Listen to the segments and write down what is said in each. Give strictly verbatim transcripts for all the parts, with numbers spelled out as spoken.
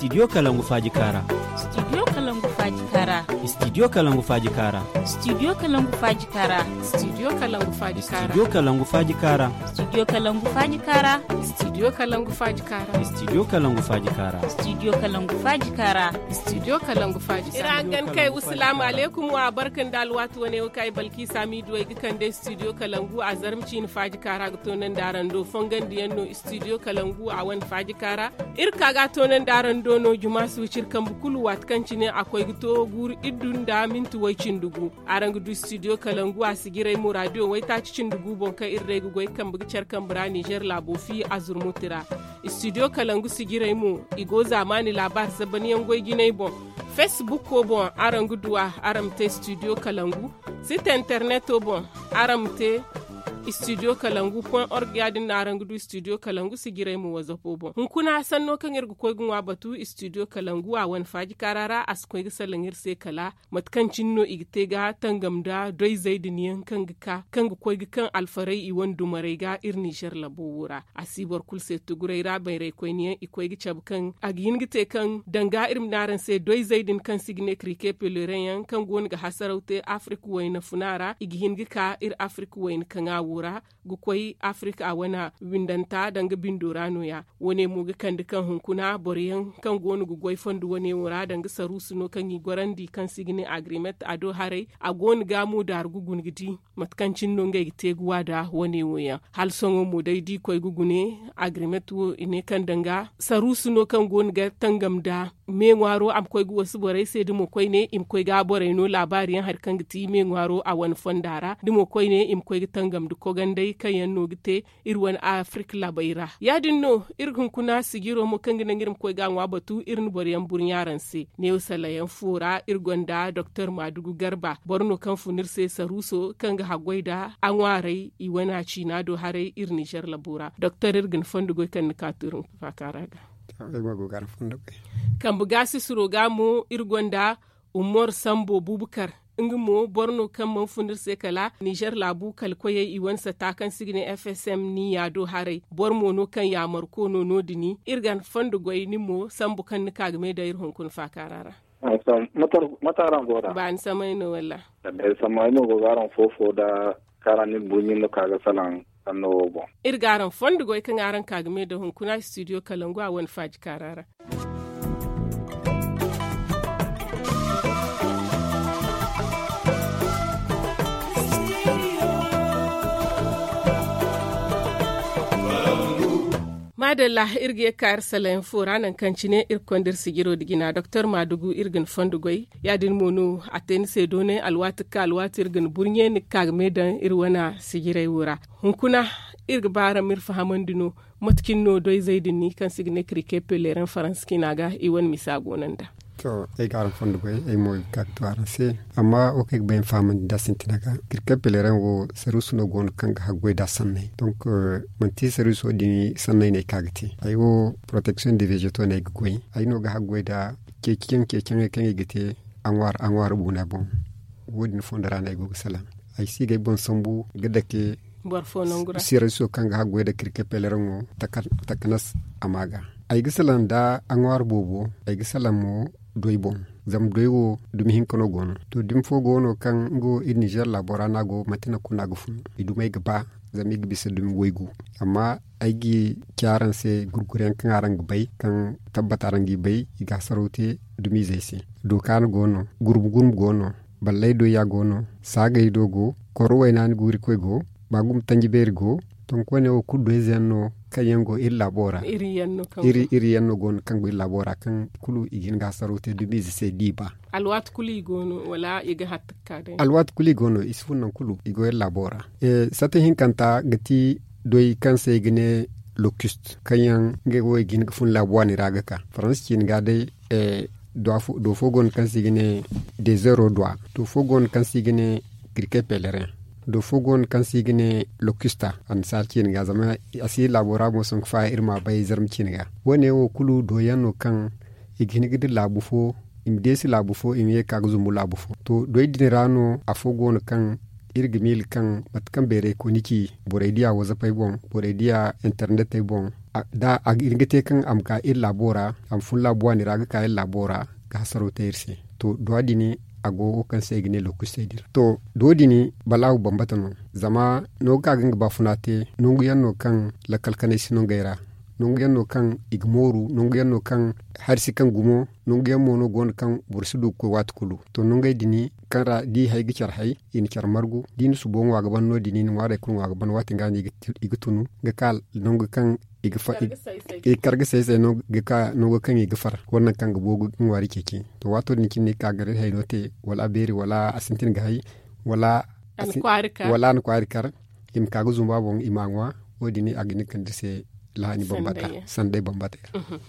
Studio kalangu faaji kaara. Studio kalangu faaji kaara. Studio kalangu faaji kaara. Studio kalangu faaji kaara. Studio kalangu faaji kaara. Studio kalangu faaji kaara. Studio kalangu faaji kaara. Studio kalangu faaji kaara. Studio kalangu faaji kaara. Studio kalangu faaji kaara. Studio kalangu faaji kaara. Ira gan kay, wasalaamu aleykum, wa barka nda alwaati wane wo kay balki sami duway ga kande studio kalangu a zarma ciini faaji kaara ga toonandi araŋ do fongandiyaŋ no. Studio kalangu a wane faaji kaara. Iri ka ga a toonandi araŋ do no juma si wiciri kambe kulu waati kaŋ cine a koy ga to guuru iddu nda minti way cindi gu. Araŋ ga du studio kalangu a sijirey mo radio waytaaci cindi gu boŋ kaŋ iri day ga goy kambe ga care kambe ra nizer laabo fi a zurmuti ra. Studio kalangu sijirey mo i go zaamaani laabaari zabanyaŋ goy jinay boŋ. Fesbukko boŋ araŋ ga du a araŋ ma te studio kalangu. Site interneto boŋ araŋ ma te studio kalangu point org ya- din no araŋ ga du studio kalangu sijirey mo wazapo boŋ hunkuna sanno kaŋ iri ga koy ga ŋwa batu studio kalangu a wane faaji kaara ra a si koy ga salaŋ iri se kala mate kaŋ cine no i ga te ga tangam nda doyzey din yaŋ kaŋ ga ka kaŋ ga koy ga kaŋ alfarey i wane dumarey ga iri nizer labo wo ra. A si boro kulu se tuguray ra bayraykoyne yaŋ i koy ga cabe kaŋ a ga hin ga te kaŋ danga iri ma ne araŋ se doyzey din kaŋ se i ga ne krike pelerin yaŋ kaŋ go no ga hasaraw te afirika wayna funa ra i ga hin ga ka iri afirika wayna kaŋa wo ra ga koy afirika a wana windanta danga bindo ra no- ya. Wo- ne mo ga kande kaŋ hunkuna boro yaŋ kaŋ go no ga goy fondo wo- ne wo ra danga saruusu no kaŋ i gorandi kaŋ se i ga ne agrimet a do haray a go no ga mo daaru ga guna ga di mate kaŋ cine no ngey ga te ga wa nda wo- ne wo yaŋ. Hala sohõ mo day da i koy ga gune agrimet wo i ne kaŋ danga saruusu no kaŋ go no ga tangam nda me ŋwaaro a ma koy ga wasu borey se da mo koyne i ma koy ga borey no laabaari yaŋ hari kaŋ ga ti me ŋwaaro a wane fonda ra da mo koyne i ma koy ga tangam nda koganday kaŋ yaŋ no ga te iri wane afirika laabey ra. Ya- din no iri ga hunkuna sijiro mo kaŋ ga naŋ iri ma koy ga a ŋwa batu iri na boro yaŋ burɲa araŋ se. Neewo salayaŋ fo ra iri gonda doktor maadugu garba boro no kaŋ fun iri se saruuso kaŋ ga haggoy nda a ŋwaarey i wane a ciina do haray iri nizer labo ra doktor iri ga ni fondo goy kaŋ ni ka to iri ma faaka ra ga. Kambe gaasi suro ga mo iri gonda umar sambo bubukar nga mo boro no kaŋ mana fun iri se kala nizer laabu kala koyey i wane sata kaŋ se i ga ne fsm ni yaado haray boro mo no kaŋ yaamarko no no- din iri ga ni fondo goy ni mo sambu kaŋ ni ka ga me daŋ iri hunkuna faakaara ra. Mate araŋ go da? Ba ni samay no walla? Samay no go ga araŋ fofo da kaara ni buɲi no ka ga salaŋ sanno wo boŋ. Iri ga araŋ fondo goy kaŋ araŋ ka ga me daŋ hunkuna studio kalangu a wane faaji kaara ra. Maadalla, iri ga ye ga ka iri salayaŋ fo ra nangu kaŋ cine iri ga konda iri sijiro nda jina doktor maadugu iri ga ni fondo goy. Ya- din mo no a te ni se doonay alwaati ga ka alwaati iri ga ni burɲe ni ga ka ga me daŋ iri wane sijirey wo ra. Hunkuna iri ga ba araŋ ma iri fahamandi no mate cine no doyzey din ni kaŋ se i ga ne krike pelerin faransa ciina ga i wane misa go no nd'a. To, ay ga araŋ fondo goy ay mo ga ka ga to araŋ se. Amma wo kaŋ ay ga bay ay ma fahamandi nd'a sintina ga kirkar pelerin wo saruusu no go no kaŋ ga haggoy nd'a sanney donk manti saruuso din sanney no ay ka ga te. Ay wo protection de vegeto no ay ga goy. Ay no ga haggoy nd'a ceeciyaŋ ceeciyaŋey kaŋ i ga te a ŋwaari a ŋwaari buuna boŋ. Wo- din fondo ra no ay go ga salaŋ. Ay si ga ay boŋ sambu ga dake saruuso kaŋ ga haggoy nda kirkar pelerin wo takanas a ma ga. Ay ga salaŋ nda a ŋwaari boobo. Ay ga salaŋ mo doy boŋ. Zama doy wo dumi hinka no go no to dumi fo go no kaŋ nga wo iri nizer laabo ra no a go manti nangu kulu no a ga fun. I dumey ga ba zama i ga bisa dumi waygu. Amma ay ga ci araŋ se gurguryaŋ kaŋ araŋ ga bay kaŋ tabbata araŋ g'i bay i ga hasaraw te dumiizey se. Dookaana go no, gurbu gurbu go no, ballay doyya go no, saagay do go, koro waynaani guurikoy go, baagum tanji beeri go. Tonku wane wo kulu doyze yaŋ no kaŋ yaŋ go iri laabo ra. Iri yaŋ no go no kaŋ go iri laabo ra kaŋ kulu i ga hin ga hasaraw te dumiize se d'i ba. Alwaati kulu i go no wala i ga hatta ga ka day? Alwaati kulu i go no i si fun nangu kulu i go iri laabo ra. Sata hinkanta ga ti doy kaŋ se i ga ne lokist kaŋ yaŋ ngey wo i ga hin ga fun laabu waani ra ga ka faransa ciine ga day. Do fo go no kaŋ se i ga ne dezeero dwa. Do fo go no kaŋ se i ga ne kirke pelerin. Do fo go no kaŋ se i ga ne lokista annasaara ciine ga zama a si laabo ra mo sohõ ga faaya iri ma a bay zarma ciine ga. Wo- ne wo kulu do yaŋ no kaŋ i ga hin ga dira laabu fo i ma deesi laabu fo i ma ye ga ka ga zumbu laabu fo. To doy din ra no afo go no kaŋ iri ga miila kaŋ mate kaŋ beeray kooni ci borey diya wazapey boŋ, borey diya internet ey boŋ, da iri ga te kaŋ a ma ka iri laabo ra, a ma fun laabu waani ra ga ka iri laabo ra ga hasaro te iri se. To duwa din a go wo kaŋ se i ga ne lookustey din ra. To duwa din balaahu bambata no. Zama nangu kaŋ a ga nga baafuna te, nangu yaŋ no kaŋ lakkal kanay si nangey ra, nangu yaŋ no kaŋ i ga mooru, nangu yaŋ no kaŋ hari si kaŋ gumo, nangu yaŋ mo no go no kaŋ boro si du ga koy waati kulu. To nangey din kaŋ ra da i hay ga care hay, i na care margu da i na subo ŋwa ga ban no- din i na ŋwaarey kulu ŋwa ga ban waati ga no i ga tunu ga ka nangu kaŋ i ga kar ga say say no ga ka nango kaŋ i ga far wala nangu kaŋ ga boogu ga ŋwaari ceeci. To waato din cine i ga ka ga iri hayno te, wala a beeri wala a sintin ga hay, wala a na kwaari kar i ma ka ga zumba boŋ i ma a ŋwa. Wo- din a ga hin ga kande iri se lahani bambata, sanday bambata.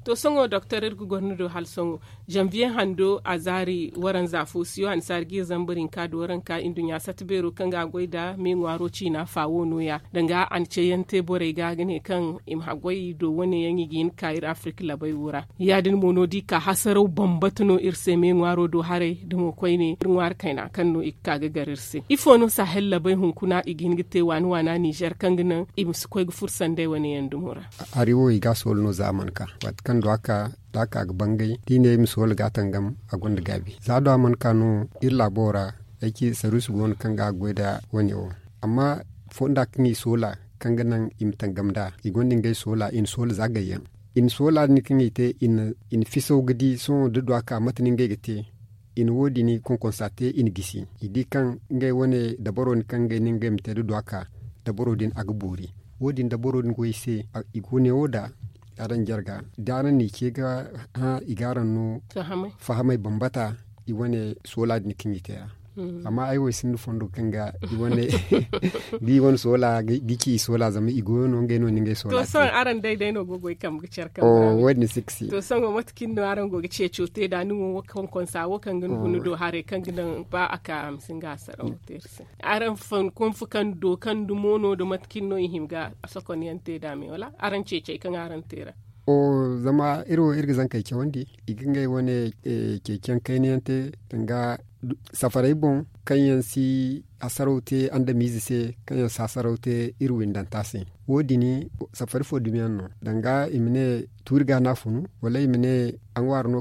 To sohõ doktor iri ga goro ni do hala sohõ, zanviye hando a zaari waranza fo siyo annasaari ga iri zambar hinka da waranka nduɲɲa sata beero kaŋ ga a goy nda me ŋwaaro ciina fa wo no- ya danga a na ceeyaŋ te borey ga ga ne kaŋ i ma haggoy do wane yaŋ i ga hin ga ka iri afirka labay wo ra. Ya- din mo no da i ka hasaraw bambata no iri se me ŋwaaro do haray da mo koyne iri ŋwaari kayna kaŋ no i ga ka ga gar iri se. Ifo no sahel labay hunkuna i ga hin ga te waana waana nizer kaŋ ga naŋ i ma si koy ga furo sanday wane yaŋ dumo ra. Hari wo i ga a soolu no za a mana ka waati kaŋ du a ka da a ka ga bangay da i ne i ma soolu ga a tangam a gonda gaabi za du a mana ka no. Iri laabo ra ay ci saruusi go no kaŋ ga a ga goy nda wane wo. Amma fonda kaŋ i soola kaŋ ga naŋ i ma tangam nd'a i gonda ngey soola i na soola za gayyaŋ. I na soola din kaŋ i te i na fisaw ga di sohõ da du a ka mate no ngey ga te. I na wo- din konkonsa te i na gisi i di kaŋ ngey wane dabaro din kaŋ ngey ne ngey ma te da du a ka dabaro din a ga boori. Wo- din dabaro din go i se i go ne wo da araŋ jarga da araŋ n'i ce ga hã i ga araŋ no fahamay bambata. I wane soola din kaŋ i te ra amma ay wo ay sinda fondo kaŋ ga i wane ga i wane soola ga ci i soola zama i goyo no ngey no ni ngey soola. To sohõ araŋ day day no go ga ay kambe ga care kambe ra wo- din si ga si. To sohõ mate kaŋ no araŋ go ga ceeco te da ni wo konkonsa wo kaŋ ga ni guna do haray kaŋ ga naŋ ba a ka a ma si nga a saraw te iri se. Araŋ fankonfu kaŋ do kaŋ dumo no da mate kaŋ no i hima ga sokon yaŋ te da me wala araŋ ceecey kaŋ araŋ te ra? Zama iri wo iri ga zankey cawandi i ga ngey wane ceeciyaŋ kayna yaŋ te danga safaray boŋ kaŋ yaŋ si hasaraw te andamiize se kaŋ yaŋ si hasaraw te iri windanta se. Wo- din safari fo dumiyaŋ no danga i ma ne tuuri ga no a funu wala i ma ne a ŋwaari no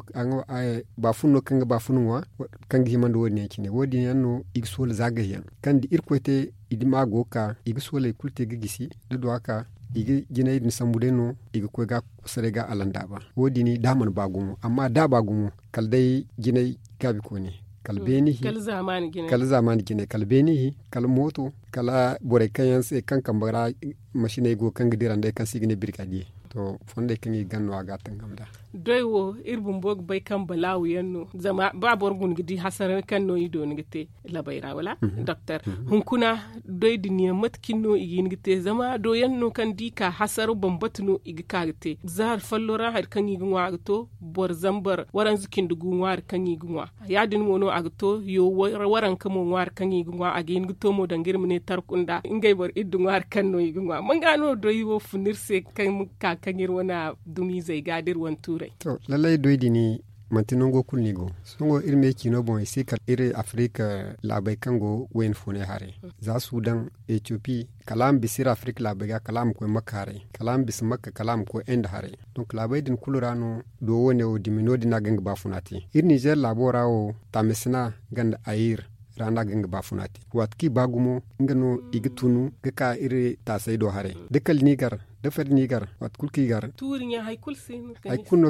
baafun no kaŋ ga baafun ŋwa kaŋ ga hima nda wo- din yaŋ cine wo- din yaŋ no i ga soola zaagay yaŋ kaŋ da irkoy te i dima go ga ka i ga sooley kulu te ga gisi da du a ka i ga jinay din sambu day no i ga koy ga a kosaray ga a landaaba. Wo- din da a mana ba gumo amma da a ba gumo kala day jinay gaabi kooni kala beeni hi kala zaamaani jinay kala beeni hi kala mooto kala borey kaŋ yaŋ se kaŋ kambe ra masiney go kaŋ ga dira nd'ey kaŋ se i ga ne birgadiye. To fondey kaŋ i ga ganda no a ga a tangam nd'a. Doy wo iri bumbo ga bay kaŋ balaawu yaŋ no zama ba boro guna ga di hasara kaŋ no i dooni ga te labay ra wala doktor hunkuna doy din yaŋ mate kaŋ no i ga hin ga te zama do yaŋ no kaŋ da i ka hasara bambata no i ga ka ga te zaari follo ra hari kaŋ i ga ŋwa a ga to boro zambar waranza cindi gu ŋwaari kaŋ i ga ŋwa. Ya- din mo no a ga to yo waranka mo ŋwaari kaŋ i ga ŋwa a ga hin ga to mo danga iri ma ne tarkunda ngey boro iddu ŋwaari kaŋ no i ga ŋwa man ga no doy wo fun iri se kaŋ ka kaŋ iri wane dumiizey ga da iri wane tuurey. To lallay doy din manti nango kulu no i go sohõ iri me ciino boŋ i si kala iri afirika laabey kaŋ go wayna funay haray za sudan etiyopi kala a ma bisa iri afirika laabey ga kala a ma koy makka haray kala a ma bisa makka kala a ma koy inde haray. Donk laabey din kulu ra no do wo- ne wo dumi no- din no a ga nga baafuna te iri nizer laabo ra wo taamisina ganda ayir ra no a ga nga baafuna te waati kaŋ i ba gumo nga no i ga tunu ga ka iri taasey do haray da kala ni gar da fari ni gar waati kulu kaŋ i gar tuuri ɲa hari kulu si no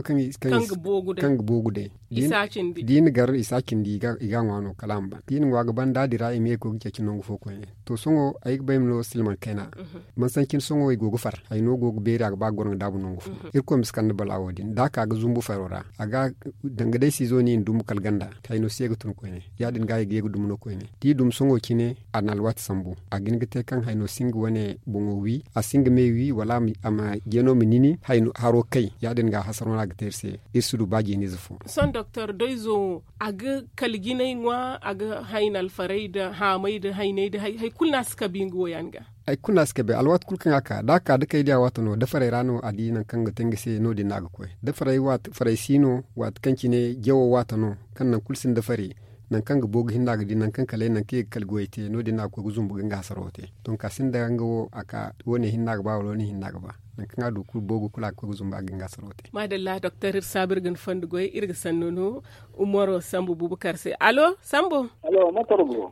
kaŋ ga boogu day da i na gar i si a cindi i ga a ŋwa no kala a ma ban da i na ŋwa ga ban da a dira i ma ye ga koy ga ceeci nangu fo koyne. To sohõ ay ga bay ma no silman kayna mansanci ni sohõ i go ga far hayno go ga beeri a ga ba ga goro ga daabu nangu fo. Irkoy ma si kande bala wo- din da a ka ga zumbu faro ra a ga danga day siizo no i na dumbu kala ganda hayno si ye ga tun koyne. Ya- din ga i ga ye ga dumu no koyne da i dumu sohõ cine a na alwaati sambu a ga hin ga te kaŋ hayno si nga wane boŋo wi a si nga me wi wala a ma jeeno ma nini haro kay ya- din ga hasaro no a ga te iri se. Iri si du ba jeeniize fo. Sohõ doktor doyzo wo a ga kala jinay ŋwa a ga hayna alfarey nda haamay nda haynay nda hari kulu no a si kabe nga wo yaŋ ga. Hari kulu no a si kabe alwaati kulu kaŋ a ka da a ka da kay diya waato no da farey ra no a di nangu kaŋ ga te nga se no- din no a ga koy da farey si no waati kaŋ cine jawo waato no kaŋ nangu kulu sinda fari. Nangu kaŋ ga boogu hinne a ga di nangu kaŋ kala nangu kaŋ i ga kala goyey te no- din no a ga koy ga zumbu ga nga hasaro te. Donk a sinda nga wo a ka wo- ne hinne a ga ba wala wo- ne hinne a ga ba. Nangu kaŋ a du kulu boogu kulu a ga koy ga zumbu a ga nga hasaro te. Maadalla doktor iri saabu iri ga ni fondo goy iri ga sanno no. Umaro sambu bubakar se alo sambu.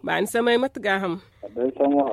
Ba ni samay mate gaaham.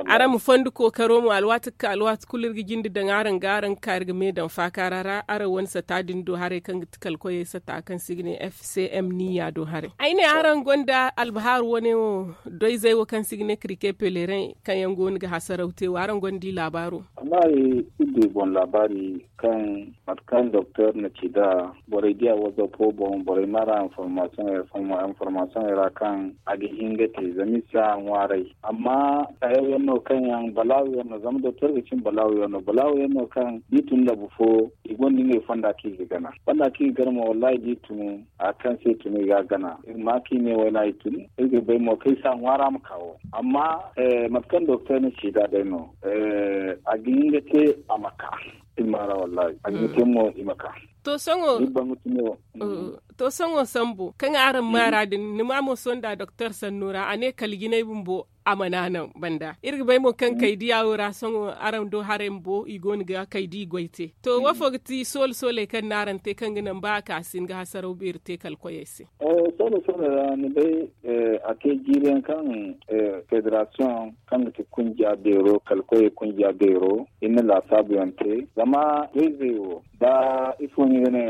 Araŋ ma fondo kookaro mo alwaati ga ka alwaati kulu iri ga jinde daŋ araŋ ga araŋ ga ka iri ga me daŋ faakaara ra araŋ wane sata din do haray kaŋ ga ti kala koyey sata kaŋ se i ga ne f c m niya do haray ay ne araŋ gonda albahaaru wane wo doyzey wo kaŋ se i ga ne kirike pelereŋ kaŋ yaŋ go no ga hasaraw te wo araŋ gonda i laabaaro. Amma iri du i boŋ laabaari kaŋ mate kaŋ doktor na ci nd'a borey diya whatsapp wo boŋ borey ma ra information information ra kaŋ a ga hin ga te zama iri si a ŋwaaray. Amma sayaw yaŋ no kaŋ yaŋ balaawo yaŋ no zama doktor ga cin balaawo yaŋ no balaawo yaŋ no kaŋ da i tun labu fo i gonda ngey fonda kaŋ i ga gana fonda kaŋ i ga gana mo wallahi da i tun a kaŋ se i tun i ga a gana iri ma kaŋ i ne wayna i tun. Iri ga bay mo kaŋ i si a ŋwaara ma ka wo amma mate kaŋ doktor na ci nd'a day no a ga hin ga te a ma ka. Iri ma ra wallahi a ga hin ga te mo i ma ka. To sohõ to sohõ sambu kaŋ araŋ maara din ni ma mo sohõ nda doktor sanno ra a ne kala jinay bumbo a mana naŋ banda iri ga bay mo kaŋ kay diya wo ra sohõ araŋ do haray bumbo i go no ga kay da i goy te to wo fo ga ti soole sooley kaŋ no araŋ te kaŋ ga naŋ ba a ka si hin ga hasaraw beeri te kala koyey se. Soole sooley ra ni bay a te jiiri yaŋ kaŋ federasiyoŋ kaŋ ga ti kunja beero kala koyey kunja beero iri na laasaabu yaŋ te zama da izey wo da ifo no i ga ne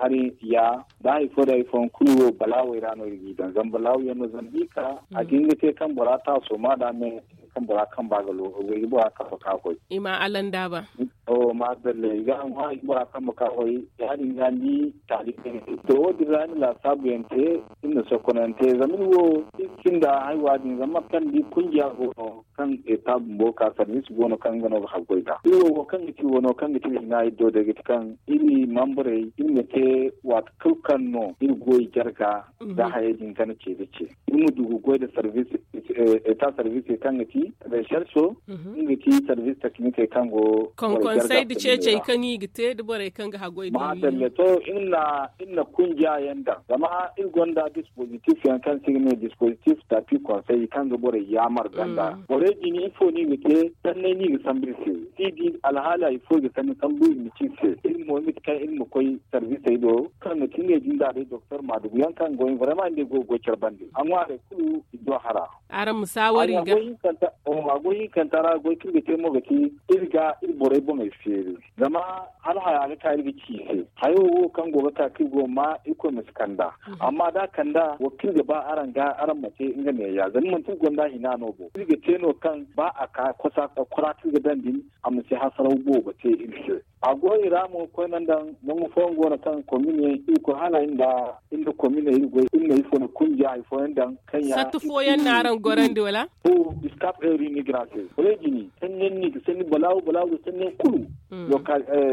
hari ya da hari fo da hari fo yaŋ kulu wo balaawey ra no iri g'i daŋ zama balaawu yaŋ no zama da i ka a ga hin ga te kaŋ bora taaso ma da me kaŋ bora kamba ga lo ga bora kamba ka koy i ma alanda ba. Madalla i ga a ŋwa i bora kamba ka koy ya- din ga ni taali kayna te to wo- din ra ni laasaabu yaŋ te iri na sokonante zama iri wo iri sinda haywa din zama mate kaŋ ni di kunja go no kaŋ eta bumbo ka sarnis go no kaŋ nga no ga haggoy nd'a iri wo wo kaŋ ga ti wo no kaŋ ga ti iri hina iri do day ga ti kaŋ iri mambarey iri ma te waati kulu kaŋ no iri goy jarga da hayey din gana ce da ce iri ma du ga goy nda eta sarvise kaŋ ga ti recherche nga ga ti sarvise teknikey kaŋ go konsey da ceecey kaŋ i ga te da borey kaŋ ga haggoy da madalla to iri na kunja yaŋ daŋ zama iri gonda dispositif yaŋ kaŋ se i ga ne dispositif tapi konsey kaŋ ga borey yaamar ganda borey din ifo no i ga te sanney no i ga sambu iri se da i di alhaala ifo i ga sanni sambu iri ma ci iri se iri mo mate kaŋ iri ma koy sarvisey do kaŋ ga ti ngey din da day doktor maadugu yaŋ kaŋ go vrema ngey go ga goy care bande a ŋwaarey kulu i do hara. Araŋ ma saawari ga a goy hinkanta ra goy kaŋ iri ga te mo ga ti iri ga iri borey boŋey feeri zama hala haya ga ka iri ga ci i se hayo wo kaŋ go ga ka kaŋ iri go ga ma irkoy ma si kand'a amma da a kand'a wo kaŋ iri ga ba araŋ ga araŋ ma te nga neeya zama manti iri gonda hina no bo iri ga te no kaŋ ba a ka kosa kora kaŋ iri ga daŋ din a ma si hasaraw boobo te iri se. A go i ra mo koyne nda nangu fooyaŋ go no kaŋ komine iri koy hala iri nda komine iri goy iri na ifo na kunja hari fooyaŋ daŋ kaŋ ya sattu fooyaŋ no araŋ gorandi wala? Iskap eri ni gira se borey din sanni ni ga sanni balaawo balaawo ga sanni kulu.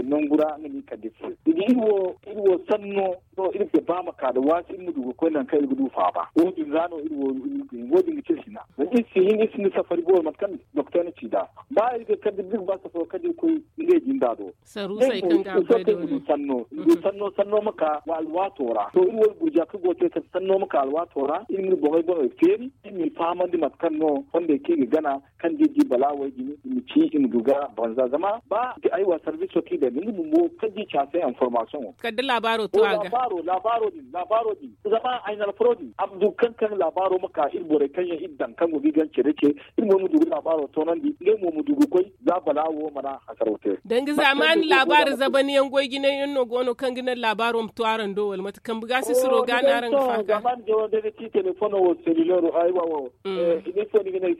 Nangu ra nga ni kande se i ga iri wo iri wo sanno no iri ga ba ma ka da waasi iri ma du ga koy nangu kaŋ iri ga du faaba wo- din ra no iri wo iri ga te iri hina zama iri si hin iri sinda safari boobo mate kaŋ doktor na ci nd'a ba iri ga kande da iri ga ba safaro kala da iri koy ngey jinda do. Saruusey kaŋ ga a goy da wane sanno iri ga sanno sanno ma ka wa alwaato ra to iri wo iri gurja kaŋ go ga te kala sanno ma ka alwaato ra iri ma iri boŋey boŋey feeri iri ma i fahamandi mate kaŋ no fondey kaŋ i ga gana kaŋ da iri di balaawey din i ma ci i ma du ga banza zama ba aywa sarbiso kaŋ i daŋ din nga bumbo kaŋ da i ci a se information wo kala da laabaaro to a ga laabaaro din laabaaro din zama ay na alfaro din a ma du kaŋ kaŋ laabaaro ma ka iri borey kaŋ yaŋ iri daŋ kaŋ go ga i gance da ce iri mo ma du ga laabaaro toonandi ngey mo ma du ga koy za balaawo mana hasaraw te. Danga zaamaani laabaari zabaniyaŋ goy jinay yaŋ no go no kaŋ ga naŋ laabaaro ma to araŋ do wala mate kambe ga sisiro ga no araŋ ga faaka. Zaamaani jawo day ga ci telefono wo selilero aywa wo.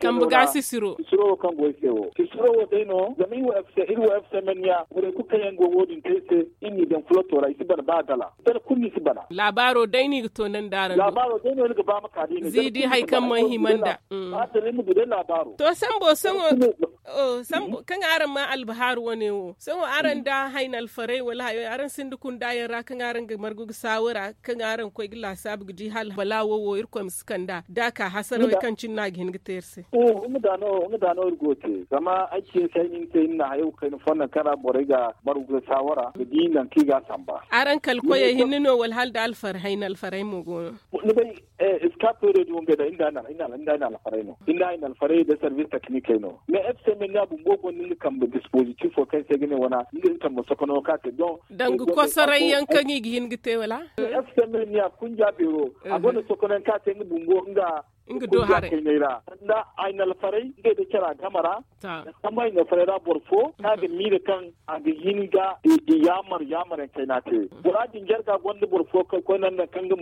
Kambe ga sisiro sisiro wo kaŋ go ay se wo sisiro wo day no zama iri wo fcmn ya borey kulu kaŋ yaŋ go wo- din te ay se iri n'i daŋ fuloto ra i si bana ba gala. Dala kulu ni si bana. Laabaaro day no i ga to naŋ da araŋ do. Laabaaro day no ni ga ba ma ka da i na zii di hari kaŋ mana hima nda. Ba dala ni ma du day laabaaro. To sambo sohõ kaŋ araŋ ma albahaaru wane wo sohõ araŋ da hayna alfarey wala hayo araŋ sinda kunda yaŋ ra kaŋ araŋ ga margu ga saawara kaŋ araŋ ga koy ga laasaabu ga di hala balaawo wo irkoy ma si kand'a da a ka hasarawey kaŋ cine no a ga hin ga te iri se. Nga da no iri go ga te zama ay ci ni se ay na ni te iri na hayo ga kayna fonda kaŋ Borey ga baru ga saawara ga di nangu kaŋ i ga a samba. Araŋ kala koyey hinne no wala hala da alfarey hayna alfarey mo go no? Ni bay, iska peero din wo ngey da inda ay na alfarey no inda ay na alfarey da sarvis teknikey no. Mais fcmn ya bumbo gonda nga kambe dispozitifo kaŋ se ga ne wana nga kambe sokono ka te don. Danga kosoray yaŋ kaŋ i ga hin ga te wala? Fcmn ya kunja beero a gonda sokono yaŋ ka te nga bumbo nga nga do haray kaynay ra sanda ay na alfarey ngey da cara game ra. Samba ay na alfarey ra boro fo kaŋ a ga miila kaŋ a ga hin ga i yaamar yaamar yaŋ kayna te. Bora din jarga gonda boro fo kaŋ koy naŋ naŋ kaŋ nga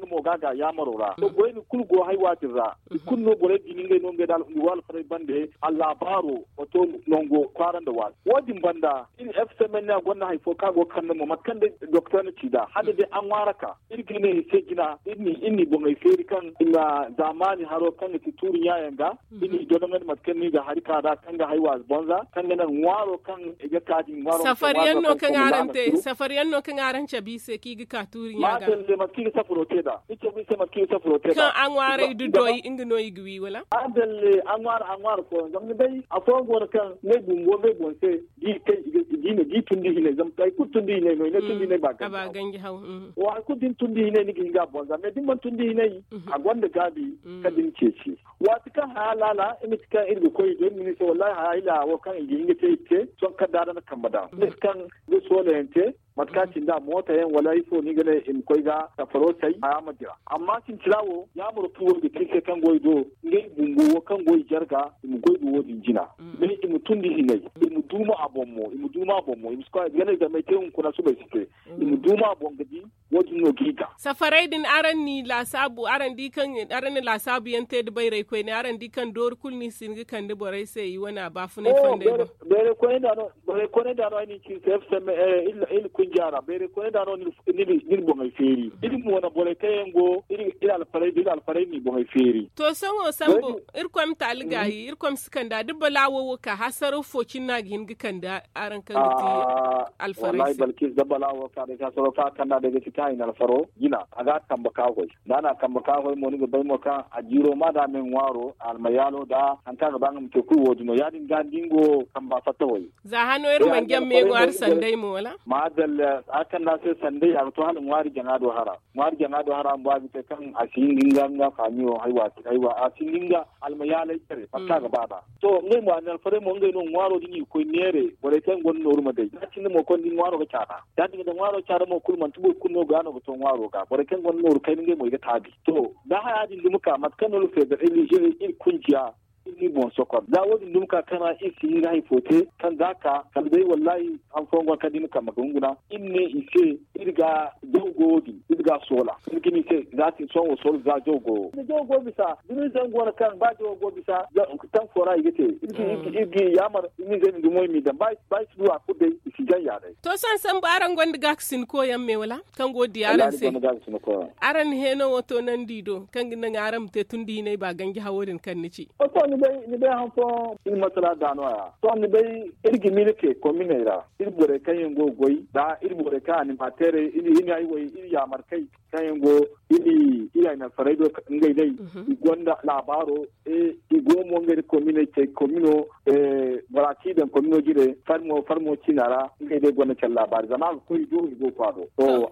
mo ga ga yaamaro ra. Goyni kulu go haywa din ra. Kulu no borey din ngey no ngey da alfarey bande a laabaaro wato nango kwaara nda waati wo- din banda. Iri fcmn a gonda hari fo kaŋ a go ga kande mo mate kaŋ day doktor na ci nd'a hala day a ŋwaara ka iri ga ne i se jina iri n'i boŋey feeri kaŋ i ma zaamaani haro kaŋ ga ti tuuri ɲaayaŋ ga. Iri n'i dodoŋandi mate kaŋ no i ga hari ka nd'a kaŋ ga haywa bonza kaŋ ga naŋ ŋwaaro kaŋ i ga ka din ŋwaaro. Safariyaŋ no kaŋ araŋ te safariyaŋ no kaŋ araŋ cabe i se kaŋ i ga ka tuuri ɲa ga. Mate kaŋ i ga safaro te nd'a i cabe i se mate kaŋ i ga safaro te nd'a kaŋ a ŋwaaray da doy nga no i ga wi wala? A dalle a ŋwaari a ŋwaari fooyaŋ zama ni bay afooyaŋ go no kaŋ ngey bumbo ngey boŋ se. Di kay i ga di ne di tundi hinay zama hay kulu tundi hinay no i ne tundi hinay ba ganji haw. Wa hay kulu da ni tundi hinay ni ga hin ga a boŋ za mais da ni mana tundi hinay a gonda gaabi. Kala da ni ceeci waati kaŋ haya laala i ma ti kaŋ iri ga koy i do iri ma ne i se wallahi haya ila wo kaŋ i ga hin ga te iri te sohõ kala da a daŋ na kambe daŋ ni ga kaŋ ga soola yaŋ te. Mate kaŋ a cindi a moota yaŋ wala ifo no i ga ne i ma koy ga safaro say haya ma dira. Amma sintina wo yaamaro kaŋ wo i ga te i se kaŋ go i do ngey bumbo wo kaŋ go i jarga i ma goy ga wo- din jina. Day i ma tundi hinay i ma duuma a boŋ mo i ma duuma a boŋ mo i ma si koy a ga ne zamey te hunkuna subay si te. I ma duuma a boŋ ga di wo- din no ga i ga. Safaray din araŋ ni laasaabu araŋ di kaŋ araŋ na laasaabu yaŋ te da bayray koyne araŋ di kaŋ doori kulu no i si hin ga kande borey se i wane a baafunay fondey boŋ. Bayray koyne da no bayray koyne da no ay na ni ci se fcm iri kunja ra bayray koyne da no ni na boŋey feeri iri mo na borey kaŋ yaŋ go iri alfarey da iri alfarey na i boŋey feeri. To sohõ sambu irkoy ma taali gaayi irkoy ma si kanda da balaawo wo ka hasaraw fo cine no a ga hin ga kanda araŋ kaŋ ga ti alfarey se. Balkis da balaawo ka day hasaraw kaŋ a kanda day ga ti kaŋ a hin alfaro jina a ga a kambe ka goy da a na a kambe ka goy mo ni ga bay mo kaŋ a jiiro ma da a me ŋwaaro almayaalo da hari kaŋ a ga ba nga ma te kulu wo- din no ya- din ga ni di nga wo kamba fatta way. Za hano iri mana jaŋ me ŋwaari sanday mo wala? Ma dalla a kanda se sanday a ga to hala ŋwaari jaŋa do hara ŋwaari jaŋa do hara bumbo a ga te kaŋ a si hin ga nga nga faamiyo haywa a si hin ga nga almayaalay care mate kaŋ a ga ba nd'a. To ngey mo a na alfarey mo ngey no ŋwaaro din i ga koy neere borey kaŋ gonda nooru ma day za cindi mo konda ŋwaaro ga caada. Ya- din ga da ŋwaaro caada mo kulu manti boro kulu no ga no ga to ŋwaaro ga borey kaŋ gonda nooru kayna ngey mo i ga taabi. To da haya din dumi ka mate kaŋ no iri feeda iri kunjiya iri n'i boŋ sokor za wo- din dumi ka kaŋ ra iri si hin ga hari fo te kaŋ za ka kala day wallahi han fooyaŋ go no kaŋ da i na kambe ga hunguna iri ne i se iri ga jaw go wo- din iri ga a soola iri ga ne i se za sohõ wo soola za jaw go wo. Da jaw go bisa da ni zangu wane kaŋ ba jaw go bisa taŋ fo ra i ga te iri ga i yaamar iri n'i zay ma dumo i m'i daŋ ba i si du a kulu day i si jaŋ ya day. To sohõ sambu araŋ gonda gaakasin koyaŋ me wala kaŋ go ga di araŋ se? Araŋ na heeno wo toonandi i do kaŋ ga naŋ araŋ ma te tun da hinay ba ganji hawo din kaŋ ni ci? Sohõ ni bay han fooyaŋ iri masala da no- ya sohõ ni bay iri ga miila te kominey ra iri borey kaŋ yaŋ go ga goy da iri borey kaŋ animateerey iri hinay wo iri yaamarkey kaŋ yaŋ go iri iri ay na alfarey do ngey day i gonda laabaaro i go mo ngey da komino cey komino bora kaŋ i daŋ komino jire farmo farmo ciina ra ngey day gonda care laabaari zama a ga koy i do i go ga kwaado.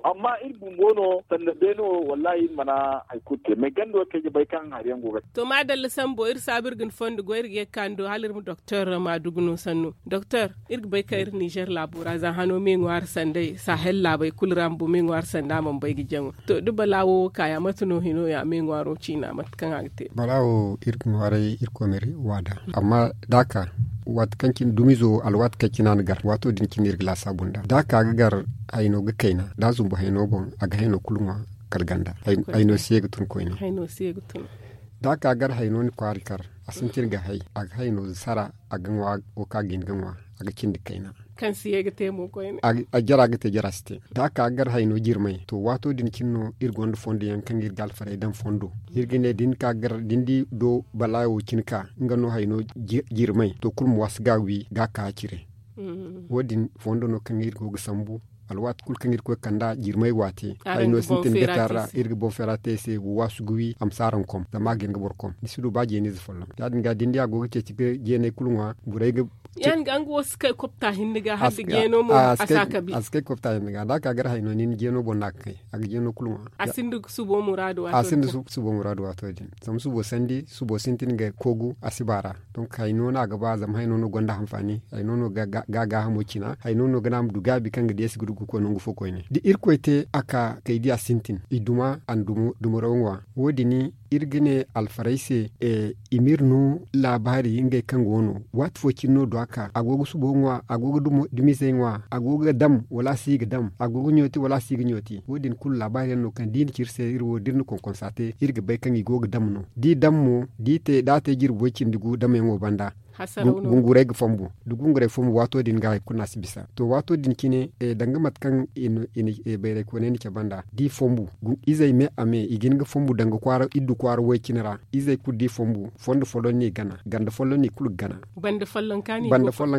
Amma iri bumbo no sanda beene wo wallahi iri mana hari kulu te mais ganda wo kaŋ ay ga bay kaŋ hari yaŋ go ga te. To maadalla sambo iri saabu iri ga ni fondo goy iri ga ye ga ka ni do hala iri ma doktor maadugu no sanno doktor. Iri ga bay kaŋ iri nizer laabo ra za hano me ŋwaari sanday sahel laabey kulu ra bumbo me ŋwaari sanda mana bay ga jaŋo. To da balaawo wo kaaya mate no hino ya me ŋwaaro ciina mate kaŋ a ga te? Balaawo iri ga ŋwaaray iri koy ma iri waada. Amma da a ka waati kaŋ cine dumizo alwaati kaŋ cine a na gar waato din cine iri ga laasaabu nd'a da a ka ga gar hayno ga kayna da a zumbu hayno boŋ a ga hayno kulu ŋwa. Kala ganda hayno si ye ga tun koyne. Da a ka gar hayno ni kwaari kar a sintin ga hay a ga hayno sara a ga ŋwa wo kaŋ a ga hin ga ŋwa a ga cindi kayna. Kaŋ si ye ga te mo koyne. A jara ga te jara si te da a ka ga gar hayno jirmay to waato din cine no iri gonda fondo yaŋ kaŋ iri ga alfarey daŋ fondo. Iri ga ne da ni ka gar da ni di do balaawo cine ka nga no hayno jirmay to kulu ma waasi ga a wi ga a ka a cire. Wo- din fondo no kaŋ iri go ga sambu. Alwaati kulu kaŋ iri koy ga kand'a jirmay waate, ay no sintin ga taara iri ga boŋ feera te i se. Wa waasu ga wi a ma si araŋ kom zama a ga hin ga boro kom ni si du ba jeeniize folloŋ. Ya- din ga da ni di a go ga ceeci ga jeeney kulu ŋwa. Borey ga ya- din ga nga wo si kay kopta hinne ga hala da jeeno mo a si a kabi. A si kay kopta hinne ga da a ka gar hayno ni na jeeno boŋ no a ga kay. A ga jeeno kulu ŋwa. A sinda subo muraadu waato din. Zama subo sintin ga koogu a si baara. Donk hayno no a ga ba zama hayno no gonda hanfaani. Hayno no ga a gaahamo cina hayno no ga ne a ma du gaabi kaŋ ga deesi ga du ga koy nangu fo koyne da irkoy te a ka kay di a sintin i duma a na duma raw ŋwa. Wo- din iri ga ne alfarey se i ma iri no laabaari ngey kaŋ go no waati fo cine no du a ka a go ga subo ŋwa a go ga dumizey ŋwa a go ga dam wala a si ga dam a go ga ɲooti wala a si ga ɲooti wo- din kulu laabaari yaŋ no kaŋ da i na ci iri se iri wo da iri na konkonsa te iri ga bay kaŋ i go ga dam no da i dam mo da a te jirbi way cindi gu damyaŋo banda. Gunguray ga fonbu da gunguray fonbu waato din ga hari kulu no a si bisa to waato din cine danga mate kaŋ bayray kooney na cabe nd'a da i fonbu izey me a me i ga hin ga fonbu danga kwaara iddu kwaara way cine ra. Izey kulu da i fonbu fondo folloŋ no i gana ganda folloŋ no i kulu ga gana. Banda folloŋ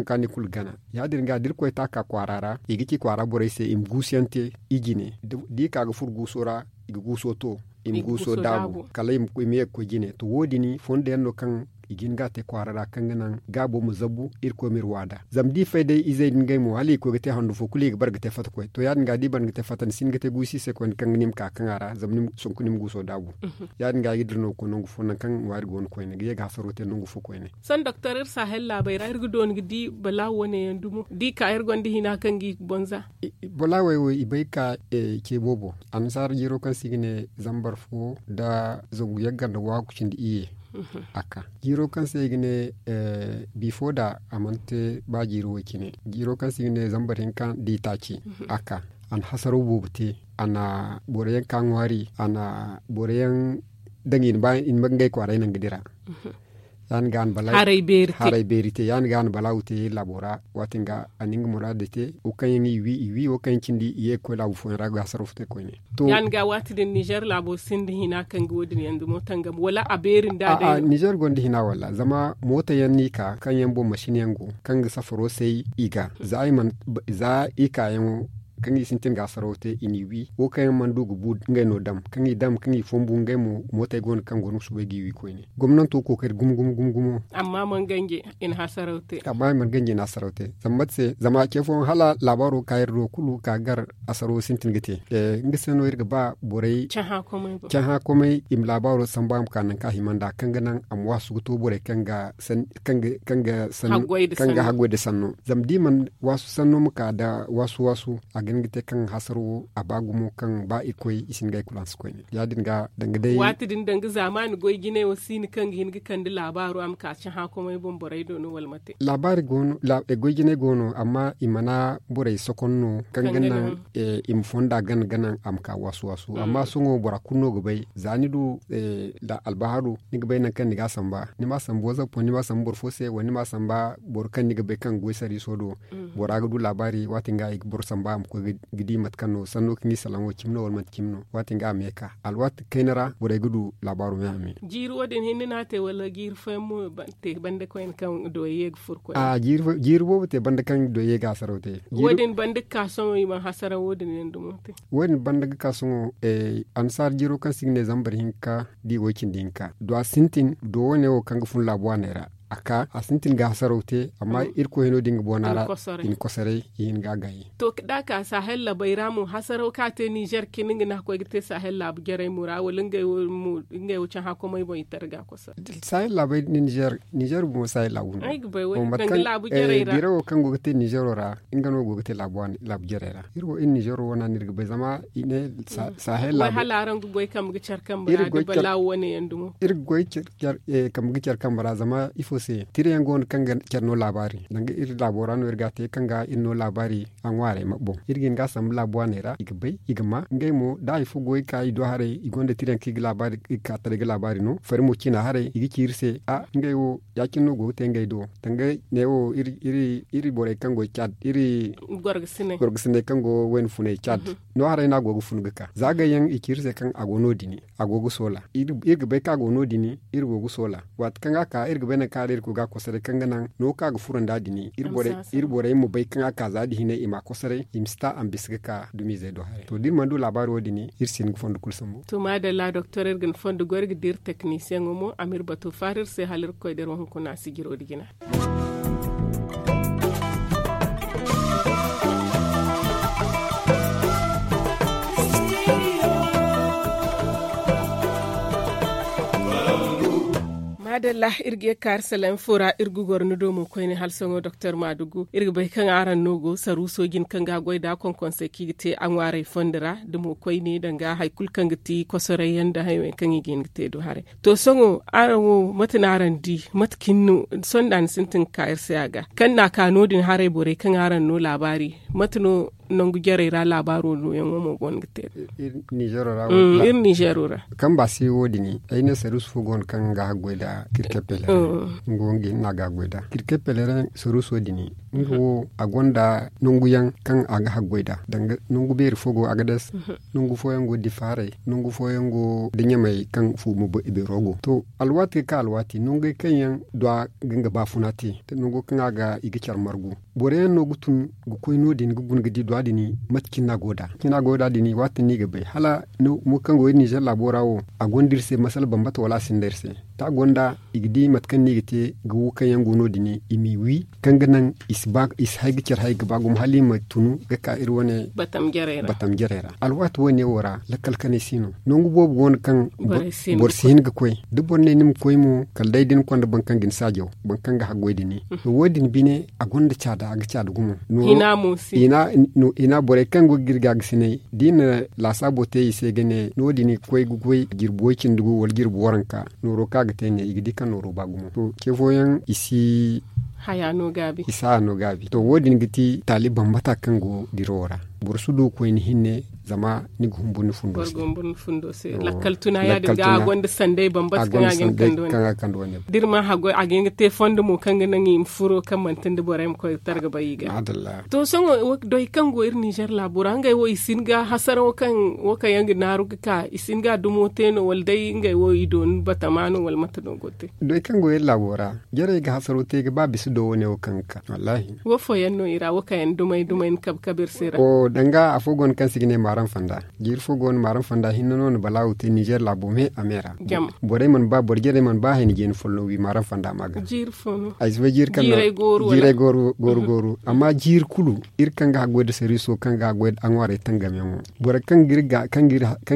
kaŋ no i kulu ga gana. Ya- din ga da irkoy te a ka kwaara ra i ga ci kwaara borey se i ma guusu yaŋ te i jine da i ka ga furo guuso ra i ga guuso to i ma guuso daabu kala i ma ye ga koy jine to wo- din fondo yaŋ no kaŋ i ga hin ga a te kwaara ra kaŋ ga naŋ gaabo ma zabu irkoy ma iri waada zama da i fay day izey din ngey mo hala i ga koy ga te handu fo kulu i ga bare ga te fatta koy to ya- din ga da i bare ga te fatta ni si hin ga te guusu i se koyne kaŋ ga ne i ma ka kaŋ a ra zama sonku ni ma guuso daabu. Ya- din ga ay ga dira no ga koy nangu fo nangu kaŋ ŋwaari go no koyne ga ye ga hasaro te nangu fo koyne. Sohõ doktor iri sahel laabey ra iri ga dooni ga di balaawo wane yaŋ dumo da i ka iri gonda hina kaŋ ga i boŋ za. Balaawey wo i bay ga ka ce boobo annasaara jiiro kaŋ se i ga ne zambar fo nda zangu yagga nda waaku cindi iyye. A ka jiiro kaŋ se i ga ne bifo da a mana te ba jiiro wo- cine jiiro kaŋ se i ga ne zambar hinka nda i taaci. A ka a na hasaraw boobo te a na boro yaŋ ka ŋwaari a na boro yaŋ daŋ i na ba i na ngey kwaaray naŋ ga dira. Ya- din ga a na balaaw haray beeri te ya- din ga a na balaaw te laabo ra. Waati din ga a na nga muraadu te wo kaŋ yaŋ i wi i wi wo kaŋ yaŋ cindi i ye ga koy laabu fooyaŋ ra ga hasaraw fo te koyne. To ya- din ga waati din nizer laabo sinda hina kaŋ ga wo- din yaŋ dumo tangam wala a beeri nda a day no? Nizer gonda hina walla zama mooto yaŋ no i ka kaŋ yaŋ boŋ masin yaŋ go kaŋ ga safaro say i ga za i mana za i kaayaŋo kaŋ i sintin ga hasaraw te i n'i wi wo kaŋ yaŋ mana du ga bu ngey no dam kaŋ i dam kaŋ i fonbu ngey mo mootey go no kaŋ go no ga soobay g'i wi koyne. Gomnanto kookari gumo gumo gumo gumo. Amma mana ganje i na hasaraw te. Amma i mana ganje i na hasaraw te zama mate se zama ce fooyaŋ hala laabaaro ga ka iri do kulu ka gar hasaro sintin ga te. Nga se no iri ga ba borey cahã komey i ma laabaaro sambu a ma ka nangu kaŋ a hima nd'a kaŋ ga naŋ a ma waasu ga to borey kaŋ ga sanno kaŋ ga haggoy nda sanno. Zama da i mana waasu sanno ma ka nda waasu waasu a ga hin ga te kaŋ hasaro wo a ba gumo kaŋ ba i koy i si hin ga ay kulu hanse koyne ya- din ga danga day waati din danga zaamaani goy jinay wo si hin kaŋ ga hin ga kande laabaaro a ma ka cahã komey boŋ borey do no wala mate? Laabaari go no goy jinay go no amma i mana borey sokon no kaŋ ga naŋ i ma fonda gana gana a ma ka waasu waasu amma sohõ bora kulu no ga bay za ni du albaharu ni ga bay nangu kaŋ ni ga a samba ni ma a samba wazappo ni ma a samba boro fo se wala ni ma a samba boro kaŋ ni ga bay kaŋ ga goy sariiso do. Bora ga du laabaari waati din ga i ga boro samba a ma koy ga di mate kaŋ no sanno kaŋ i salaŋo cimi no wala manti cimi no waati din ga a ma ye ka alwaati kayna ra borey ga du laabaaro me a me. Jiiri wo- din hinne no a te wala jiiri fooyaŋ mo te banda koyne kaŋ doyey ga furo koyne? Jiiri boobo te banda kaŋ doyey ga hasaraw te. Wo- din banda ga ka sohõ i mana hasaraw wo- din yaŋ dumo te. Wo- din banda ga ka sohõ annasaara jiiro kaŋ se i ga ne zambar hinka da i way cindi hinka do a sintin do wane wo kaŋ ga fun laabu waaney ra. A ka a sintin ga hasaraw te amma irkoy hino din ga boona ra i na kosoray i hin ga a gaayi. To da a ka sahel laabey ra mo hasaraw kaŋ a te nizer cine nga no a koy ga te sahel laabu jarey mo ra wala ngey wo cahã komey boŋ i tara ga a kosoray? Sahel laabey nizer nizer bomo sahel laabu no. Ay ga bay wo danga laabu jarey ra. Biro wo kaŋ go ga te nizero ra nga no go ga te laabu jarey ra. Iri wo iri nizero wana no iri ga bay zama i ne sahel laabu. Hala araŋ ga goy kambe ga care kambe ra ga balaawo wane yaŋ dumo? Iri ga goy kambe ga care kambe ra zama ifo se tira yaŋ go no kaŋ ga care no laabaari danga iri laabo ra no iri ga a te kaŋ ga iri no laabaari a ŋwaarey ma boŋ iri ga hin ga a sambu laabu waaney ra i ga bay i ga ma ngey mo da hari fo go i ka i do haray i gonda tira yaŋ kaŋ i ga laabaari i ga ka taray ga laabaari no fari mo ciina haray i ga ci iri se a ngey wo ya- cine no go ga te ngey do danga neewo iri borey kaŋ go cad iri gorgasiney kaŋ go wayna funay cad. No haray no a go ga fun ga ka za gay yaŋ i ci iri se kaŋ a go no- din a go ga soola iri ga bay kaŋ a go no- din iri go ga soola waati kaŋ a ka iri ga bay nangu kaŋ Iri ga kosoray kaŋ ga naŋ no kaŋ a ga furo nda din iri borey ma bay kaŋ a ka za da hine i ma a kosoray i ma si ta a ma bisa ga ka dumiizey do haray to da iri mana du laabaari wo- din iri si hin ga fondo kulu sambu. To maadalla doktor iri ga ni fondo goy iri ga dira teknisiyeŋo mo a ma iri bato faara iri se hala iri ga koy da iri wo hunkuna sijiro nda jina. Maadalla iri ga ye ga ka iri salaŋ fo ra iri ga goro ni do mo koyne hala sohõ doktor maadugu iri ga bay kaŋ araŋ no go saruuso jine kaŋ ga a goy nd'a konkonsey kaŋ i ga te a ŋwaaray fondo ra da mo koyne danga hari kulu kaŋ ga ti kosoray yaŋ nda hari wo yaŋ kaŋ i ga hin ga te do haray. To sohõ araŋ wo mate no araŋ di? Mate cine no sohõ da ni sintin ga ka iri se a ga kaŋ ni n'a ka no- din haray borey kaŋ araŋ no laabaari mate no nangu jarey ra laabaaro nooyaŋo mo go no ga te? Iri ninzeero ra. Kaŋ ba se wo- din ay ne saruusu fo go no kaŋ ga haggoy nda kirkeppele ra. Nga wo nga hinne a ga haggoy nda kirkeppele ra saruuso din nga wo a gonda nangu yaŋ kaŋ a ga haggoy nda danga nangu beeri fo go a ga das. Nangu fooyaŋ go difa haray nangu fooyaŋ go da ɲamey kaŋ fuuma beero go to alwaati ga ka alwaati nangey kaŋ yaŋ du a ga nga baafuna te nango kaŋ a ga i ga care margu. Boro yaŋ no ga tun ga koy no- din ga guna ga di duwa din mate cine no a go nd'a waati no i ga bay hala mo kaŋ go iri ninzeer laabo ra wo a gonda iri se masala bambata wala a sinda iri se. Da a gonda i ga di mate kaŋ no i ga te ga wo kaŋ yaŋ go no- din i m'i wi kaŋ ga naŋ i si hay ga care hay ga ba gumo hala i ma tunu ga ka iri wane batam jarey ra. Alwaati wo- ne wo ra lakkal kanay si no nangu boobo go no kaŋ boro si hin ga koy. Da boro ne ni ma koy mo kala day da ni konda boro kaŋ ga ni saajaw boro kaŋ ga haggoy din. To wo- din bine a gonda caada a ga caada gumo. Hina borey kaŋ go ga iri gaagasinay da i na laasaabo te i se ga ne no- din ga koy ga goy jirbi way- cindi gu wala jirbi waranka nooro kaŋ a ga te ne i ga di kaŋ nooro ba gumo to ce fooyaŋ i si haya no gaabi. To wo- din ga ti taali bambata kaŋ go dirawo ra. Boro si du ga koy ni hinne zama ni ga humburu ni fundo se. Lakkal tuna ya- din ga a gonda sanday bambata kaŋ a ga hin ga kande wane. Da iri ma haggoy a ga hin ga te fondo mo kaŋ ga naŋ i ma furo kaŋ manti nda borey ma koy ga targa bay i ga. To sohõ doy kaŋ go iri ninzeer laabo ra ngey wo i si hin ga hasaraw kaŋ wo kaŋ yaŋ ga naaru ga ka i si hin ga a dumo te no wala day ngey wo i dooni batama no wala mate no go ga te? Doy kaŋ go iri laabo ra jarey ga hasaraw te ga ba bisa do wane wo kaŋ ga ka wallaahi. Wo fooyaŋ no i ra wo kaŋ yaŋ dumay dumay ni kabe kabe iri se ra. Danga afo go no kaŋ se i ga ne maaram fanda. Jiiri fo go no maaram fanda hinne no na balaawo te ninzeer laabo me a me ra. Borey mana ba boro jarey mana ba hayni jeeni folloŋ wi maaram fanda ma ga. Ay si bay jiiri kaŋ no jiirey gooru gooru amma jiiri kulu iri kaŋ ga haggoy nda sariiso kaŋ ga haggoy nda aŋwaarey tangamyaŋo boro kaŋ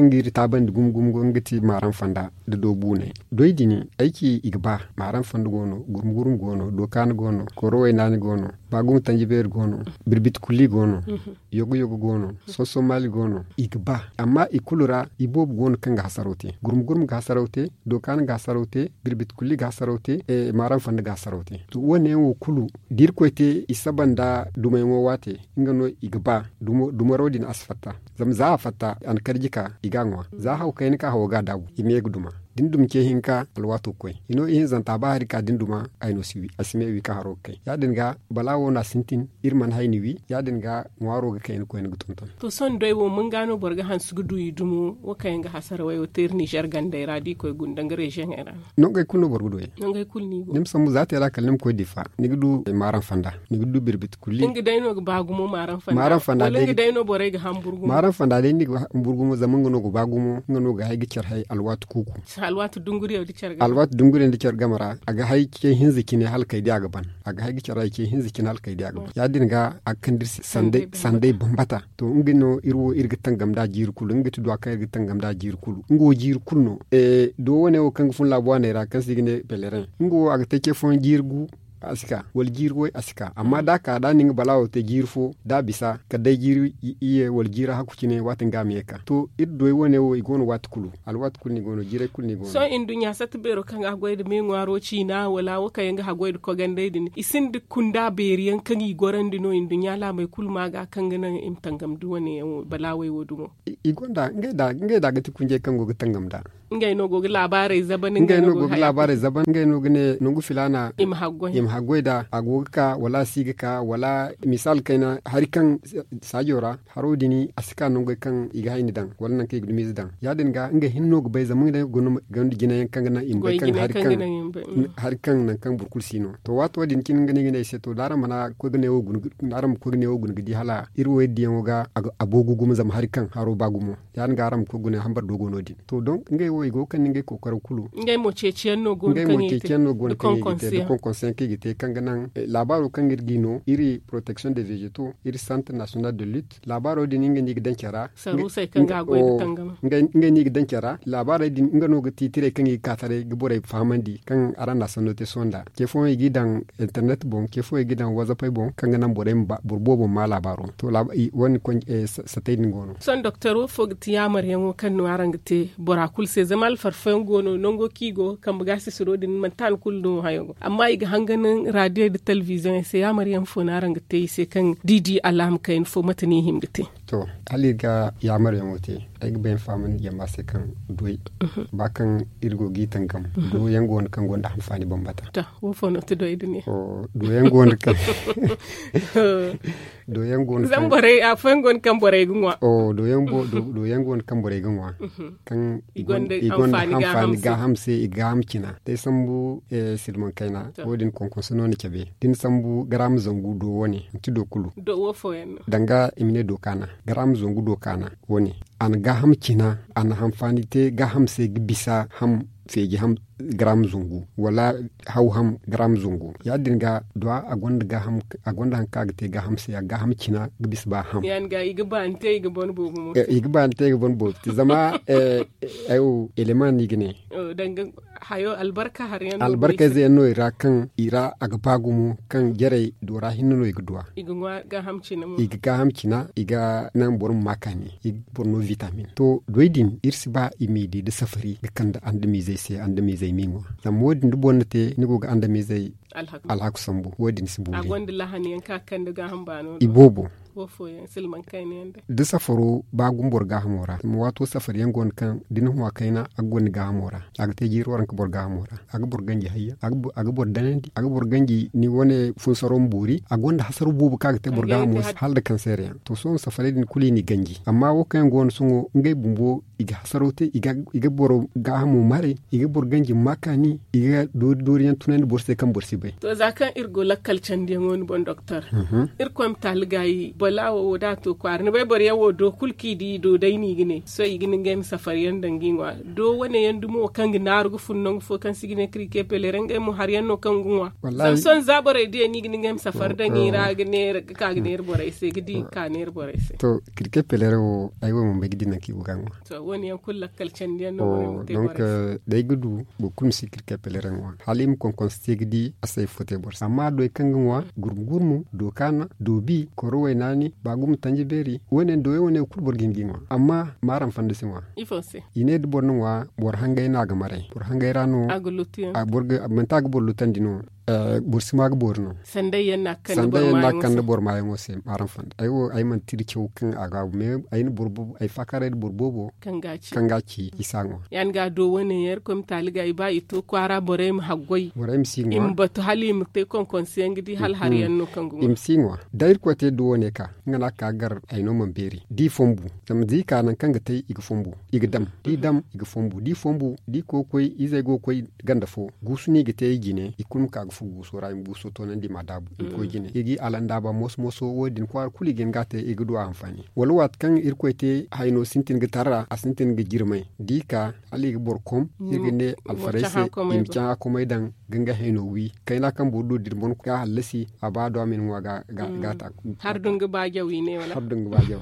ga iri taabandi gumo gumo go nga ti maaram fanda nda doobuunay doy din ay ci i ga ba maaram fanda go no gurmu gurmu go no dookaana go no koro waynaani go no baagumo tanji beeri go no birbit kulli go no yogo yogo go no soso maali go no i ga ba amma i kulu ra i boobo go no kaŋ ga hasaraw te gurmu gurmu ga hasaraw te dookaana ga hasaraw te birbit kulli ga hasaraw te maaram fanda ga hasaraw te to wo- ne yaŋ wo kulu da irkoy te i saba nda dumayyaŋo waate nga no i ga ba dumaro din a si fatta zama za a fatta a na karji ka i ga a ŋwa za haw kayna kaŋ hawo ga a daabu i ma ye ga duma da ni duma ce hinka alwaato ga koy hino ihinzanta ba hari ka da ni duma ay no si wi a si me wi kaŋ haro ga kay ya- din ga bala wo no a sintin iri mana hayni wi ya- din ga ŋwaaro ga kayna koyne ga tonton. To sohõ day wo mun ga no boro ga hanse ga du i dumo wo kaŋ yaŋ ga hasarawey wo te iri nizer gandey ra da i koy gunda nga reziyoŋey ra no. Nongey kulu no boro ga du yaŋ ni ma sambu za te ra kala ni ma koy difa ni ga du maaram fanda ni ga du birbit kulli. Nga day no ga ba gumo maaram fanda maaram fanda day ni ga hambur gumo maaram fanda day ni ga hambur gumo zama nga no ga ba gumo nga no ga hay ga care hay alwaati kuuku. Alwaati dunguriyaŋ da care game ra a ga hay ce hinza cine hala kay day a ga ban a ga hay ga care hay ce hinza cine hala kay day a ga ban ya- din ga a ga kande iri se sanday bambata. To nga no iri wo iri ga tangam nd'a jiiri kulu nga ga ti duwa kaŋ iri ga tangam nd'a jiiri kulu nga wo jiiri kulu no. Do wane wo kaŋ ga fun laabu waaney ra kaŋ se i ga ne pelerin nga wo a ga te ce fooyaŋ jiiri gu a si ka wala jiiri way a si ka amma da a ka da a na nga balaawo te jiiri fo da a bisa kala day jiiri iyye wala jiiri hakku cine waati nga a ma ye ga ka to iri doy wane wo i go no waati kulu alwaati kulu no i go no jiiray kulu no i go no. Sohõ nduɲɲa satta beero kaŋ ga goy nda me ŋwaaro ciina wala wo kaŋ yaŋ ga haggoy nda kogandey din i sinda kunda beeri yaŋ kaŋ i gorandi no nduɲɲa laamey kulu ma ga kaŋ ga naŋ i ma tangam nda wane yaŋ wo balaawey wo dumo. I gonda ngey da ga ti kunjey kaŋ go ga tangam nd'a. Ngey no go ga laabaarey zaban ngey no go ga ne nangu filaana i ma haggoy. haggoy da a go ga ka wala a si ga ka wala misal kayna hari kaŋ saajo ra haro din a si ka nangey kaŋ i ga hayni daŋ wala nangu kaŋ i ga dumiize daŋ ya- din ga ngey hinne no ga bay zama ngey no ga gonda jinayaŋ kaŋ ga naŋ i ma bay kaŋ hari kaŋ nangu kaŋ boro kulu si no. To waato din cine nga no i ga ne ay se to da araŋ mana koy ga neewo guna ga di hala iri wo iri diyaŋo ga a boogu gumo zama hari kaŋ haro ba gumo ya- din ga araŋ ma koy ga guna hambar do go no- din to donk ngey wo i go ga kande ngey kookaro kulu. Ngey mo ceeciyaŋ no go no kaŋ i ga te da konkonsiyaŋ kaŋ i ga te kaŋ ga naŋ laabaaro kaŋ iri ga i no iri protection de vegeto iri centre national de lutte laabaaro din ngey no i ga daŋ care ra. Saruusey kaŋ ga a goy nda tangama. Ngey no i ga daŋ care ra laabaarey din nga no ga tiitirey kaŋ i ga ka taray ga borey fahamandi kaŋ araŋ na a sanno te sohõ nd'a ce fooyaŋ i g'i daŋ internet boŋ ce fooyaŋ i g'i daŋ wazapey boŋ kaŋ ga naŋ borey ma ba boro boobo ma maa laabaaro to wane satey din go no. Sohõ doktor wo fo ga ti yaamaryaŋo kaŋ no araŋ ga te bora kulu se zama alfarfayaŋ go no nango kaŋ i go kambe ga sisiro din manti han kulu no hayo go amma i ga hangan raadiyo nda talbiziyoŋey se yaamaryaŋ fo no araŋ ga te i se kaŋ da i di alaama kayna fo mate no i hima ga te? To hala iri ga yaamaryaŋo te ay ga bay ma fahamandi jama se kaŋ doy ba kaŋ iri go g'i tangam doyaŋ go no kaŋ gonda hanfaani bambata. To wo fo no ti doy din ya? Doyaŋ go no kaŋ doyaŋ go no kaŋ afooyaŋ go no kaŋ borey ga ŋwa. Doyaŋ go no kaŋ borey ga ŋwa kaŋ i gonda hanfaani gaaham se i ga gaaham cina day sambu silmaŋ kayna wo- din konkonso no ni cabe da ni sambu garaama zangu do wane manti do kulu danga i ma ne do kaana garaama zangu do kaana wane a na gaaham cina a na hanfaani te gaaham se ga bisa ham feeji ham garaama zangu wala haw ham garaama zangu ya- din ga duwa a gonda haŋ kaŋ a ga te gaaham se a ga gaaham cina ga bisa ba ham i ga baani te i ga ban boobo te zama ay wo elema no i ga ne albarkayze yaŋ no i ra kaŋ i ra a ga ba gumo kaŋ jarey doora hinne no i ga duwa i ga gaaham cina i ga naŋ boro ma ma kaani i ga boro no vitamin to doy din iri si ba i m'i di nda safari ga kande andamiizey se andamiizey m'i ŋwa zama wo- din da boro na te ni go ga andamiizey alhaku sambu wo- din si boori i boobo da safaro ba gumo boro gaahamo ra zama waato safari yaŋ go no kaŋ da ni huma kayna a ga goro ni gaahamo ra a ga te jiiri waranka boro gaahamo ra a ga boro ganji hayyaŋ a ga boro danandi a ga boro ganji ni wane funsaro ma boori a gonda hasaro boobo kaŋ a ga te boro gaahamo se hala nda kanseer yaŋ to sohõ safarey din kulu i n'i ganji amma wo kaŋ yaŋ go no sohõ ngey bumbo i ga hasaro te i ga boro gaahamo maray i ga boro ganji ma ma kaani i ga doori doori yaŋ tunandi boro se kaŋ boro si bay. To za kaŋ iri go lakkal candiyaŋo ni boŋ doktor irkoy ma taali gaayi balaawo wo da a to kwaara ni bay boro yaŋ wo do kulu kaŋ i di i do day no i ga ne sohõ i ga ne ngey ma safari yaŋ daŋ ga i ŋwa do wane yaŋ dumo kaŋ ga naaru ga fun nangu fo kaŋ se i ga ne kirke peleere ngey mo hari yaŋ no kaŋ ga ŋwa zama sohõ za borey diya no i ga ne ngey ma safari daŋ i ra ga neera ga ka ga neera borey se ga di ga ka neera borey se. To kirke peleere wo ay wo mana bay ga di nangu kaŋ i go ga a ŋwa. To wo- ne yaŋ kulu lakkal candiyaŋ no borey ma te borey se. Day ga du boro kulu ma si kirke peleere ŋwa hala i ma konkonse te ga di a si ay fo te boro se amma doy kaŋ ga ŋwa gurmu gurmu do kaana do bi koro waynaani ba gumo tanji beeri wo- ne doyey wo- ne kulu boro ga hin ga i ŋwa amma maaraŋ fanda si ŋwa. I ne da boro na ŋwa boro hangay no a ga maray boro hangay ra no manti a ga boro lutandi no. Boro si ma ga boori no sandayyaŋ no a ga kande boro maayaŋo se maaraŋ fanda ay wo ay manti iri caw kaŋ a ga a bu me ay na boro boobo ay faakaaray nda boro boobo kaŋ ga a ci i si a ŋwa. Ya- din ga a do wo- ne yaŋ irkoy ma taali ga i ba i to kwaara borey ma haggoy borey ma si ŋwa i ma batu hala i ma te konkonse yaŋ ga di hala hari yaŋ no kaŋ ga ŋwa i ma si ŋwa da irkoy te do wo- ne ka nga no a ga ka ga gar ay no mana beeri da i fombu zama da i ka nangu kaŋ ga te i ga fombu i ga dam da i dam i ga fombu da i fombu da i koy ga koy izey go ga koy ganda fo guusu no i ga te i jine i kulu ma ka ga furo guuso ra i ma guuso toonandi i ma a daabu i ma koy jine i g'i alandaaba moso moso wo- din kwaara kulu i ga hin ga a te i ga du a hanfaani wala waati kaŋ irkoy te hayno sintin ga tarra a sintin ga jirmay da i ka hala i ga boro kom iri ga ne alfarey se i ma caŋ a komey daŋ ga nga hayno wi kayna kaŋ boro du din boŋ ga hallasi a ba do a ma ni ŋwa ga a ta hari dungu ba jaw i ne wala hari dungu ba jaw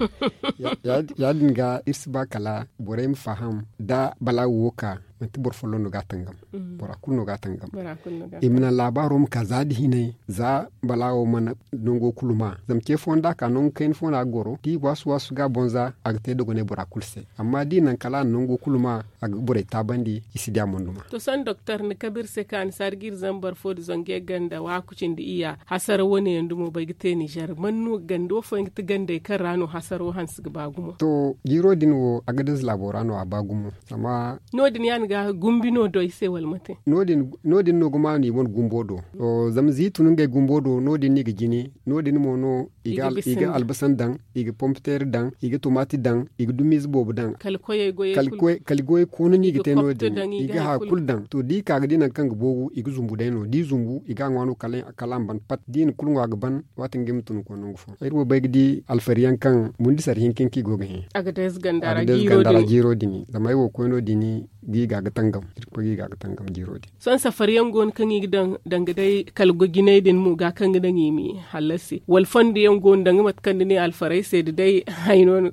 ya- din ga iri si ba kala borey ma faham da balaawo wo ka manti boro folloŋ no ga a tangam bora kulu no ga a tangam i ma naŋ laabaaro ma ka za da hinay za balaawo mana nango kulu ma zama ce fooyaŋ da a ka nangu kayna fo no a ga goro da i waasu waasu ga a boŋ za a ga te dogonay bora kulu se amma da i naŋ kala a na nango kulu ma a ga borey taabandi i si di a moyduma. To sohõ doktor ni kabe iri se kaŋ a na saari ga iri zambar fo nda zangu yaŋ ganda waaku cindi iyya hasara wane yaŋ dumo bay ga te nizer man no ganda wo fooyaŋ ga ti gandey kaŋ ra no hasaro hanse ga ba gumo? To jiiro din wo agadez laabo ra no a ba gumo zama no- din ya- din ga gumbi no do i se wala mate? No- din no ga maanu i wane gumbo do. Zama ziitu no ngey gumbo do no- din no i ga jine. No- din mo no i ga albasan daŋ, i ga pompeter daŋ, i ga tomaati daŋ, i ga dumiize boobo daŋ. Kala goyey koona no i ga te no- din i ga haya kulu daŋ. To da i ka ga di nangu kaŋ ga boogu i ga zumbu day no da i zumbu i ga a ŋwa no kala a ma ban pat da i na kulu ŋwa ga ban. Waati nga i ma tun ga koy nangu fo. Iri wo bay ga di alfari yaŋ kaŋ mundi sara hinka hinka i go ga hẽ. A ga deeze ganda ra jiiro din. Zama ay wo koy no- din ga i ga ga tangam jiiro din. Sohõ safari yaŋ go no kaŋ i ga daŋ danga day kala goy jinay din mo ga kaŋ ga daŋ i ma i hallasi wala fondo yaŋ go no danga mate kaŋ ni ne alfaray se da day. Hay no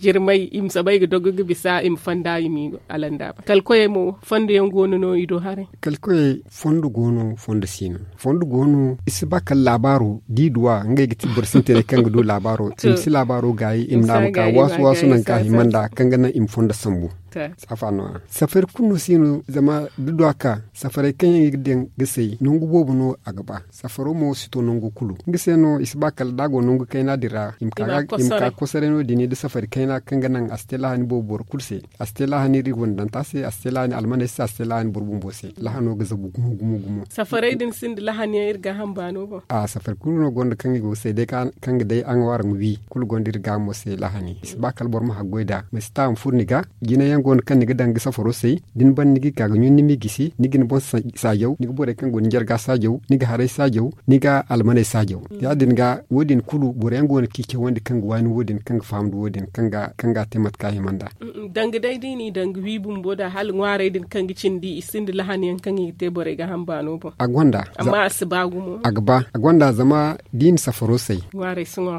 jirmay i ma soobay ga dogo ga bisa i ma fonda i ma i alanda ba kala koyey mo fondo yaŋ go no no i do haray. Kala koyey fondo go no fondo si no. Fondo go no i si ba kala laabaaro da i duw'a ngey ga ti boro sintinay kaŋ ga du laabaaro i ma si laabaaro gaayi i ma ne a ma ka waasu waasu nangu kaŋ a hima nd'a kaŋ ga naŋ i ma fondo sambu. Saafa no- ya safari kulu no si no zama da du a ka safaray kaŋ yaŋ i ga daŋ ga say nangu boobo no a ga ba. Safaro mo si to nangu kulu nga se no i si ba kala da a go nangu kayna din ra i ma ka kosaray no- din da safari kayna kaŋ ga naŋ a si te lahani boobo boro kulu se. A si te lahani iri gondanta se a si te lahani almaney se a si te lahani boro bumbo se. Lahano ga zabu gumo gumo gumo. Safaray din sinda lahani yaŋ iri ga hamba no boŋ. A safari kulu no gonda kaŋ i go ga say day kaŋ ga day a ŋwaaraŋ wi kulu gonda iri ga mo se lahani i si ba kala boro ma haggoy nd'a ma si ta a ma furo ni ga. Jina yaŋ go no kaŋ ni ga daŋ ga safaro say da ni ban ni ga ka ga ɲun ni m'i gisi ni ga ni boŋ saajaw ni ga borey kaŋ go ni jarga saajaw ni ga haray saajaw ni ga almaney saajaw. Ya- din ga wo- din kulu boro yaŋ go no kaŋ i cawandi kaŋ ga waani wo- din kaŋ ga faham nda wo- din kaŋ ga a te mate kaŋ a hima nd'a. Danga day da i n'i daŋ ga wi bumbo nd'a hala ŋwaarey din kaŋ ga cindi i sinda lahani yaŋ kaŋ i ga te borey ga hamba no boŋ. A gonda. Amma a si ba gumo. A ga ba a gonda zama da i na safaro say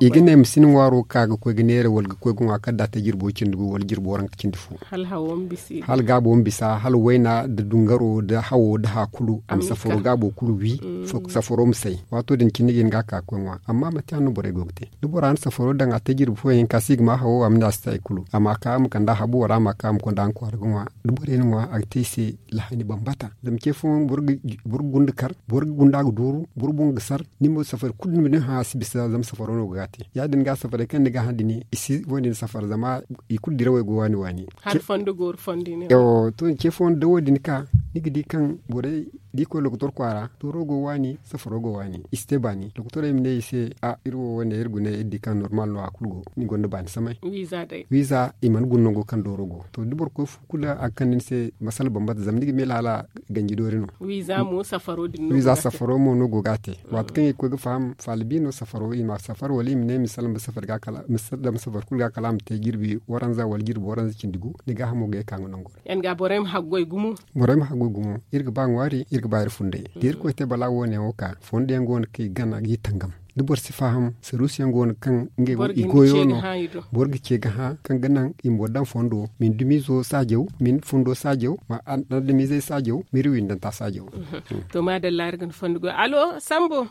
i ga ne ma si ni ŋwaaro ka ga koy ga neera wala ga koy ga ŋwa kala da a te jirbo cindi gu wala jirbo waranka cindi fo. Hala gaabo ma bisa hala wayna nda dungaro nda hawo nda haya kulu a ma safaro gaabo kulu wi. Safaro ma say waato din cine ga hin ga a ka ga koy ŋwa amma manti yaŋ no borey go ga te. Da bora na safaro daŋ a te jirbi fooyaŋ hinka se i ga ma hawo a ma ne a si te hari kulu a ma ka a ma kand'a habu wala a ma ka a ma konda nga kwaara ga ŋwa. Da borey na ŋwa a ga te i se lahani bambata. Zama ce fooyaŋ boro ga gunda kar boro ga gunda ga duuru boro boŋ ga sar. Ni mo safari kulu ni ma ne hã a si bisa zama safaro no go ga a te ya- din ga safaray kaŋ ni ga hã din i si wo- din safar zama i kulu dirawey go waani waani. Hari fondo gooru fondo i ne. To ce fooyaŋ da wo- din ka ni ga di kaŋ borey da i koy lokotor kwaara dooro go waani safaro go waani i si te baani lokotorey ma ne i se. A iri wo wane iri gune iri di kaŋ normal no a kulu go ni gonda baani samay. Wiiza i mana guna nango kaŋ dooro go to da boro koy fu kulu a ga kande ni se masala bambata zama ni ga meele hala ganji doori no. Wiiza safaro mo no go ga a te. Waati kaŋ i ga koy ga faham faala bi no safaro i ma safar wala i ma ne misal ma safar kulu ga kala a ma te jirbi waranza wala jirbi waranza cindi gu ni gaahamo ga ye ka nga nango ra. Yaŋ ga borey ma haggoy gumo. Borey ma haggoy gumo iri ga ba ŋwaari iri ga ba iri funday da iri koy te bala wo- ne wo ka fondo yaŋ go no kaŋ i gana ga i tangam. Da boro si faham saruusu yaŋ go no kaŋ ngey wo i goyo no. Boro ga ce ga hã kaŋ ga naŋ i ma boro daŋ fondo ma ni dumiizo saajaw ma ni fundo saajaw ma adamizey saajaw ma iri windanta saajaw. To maadalla iri ga ni fondo goy alo sambo.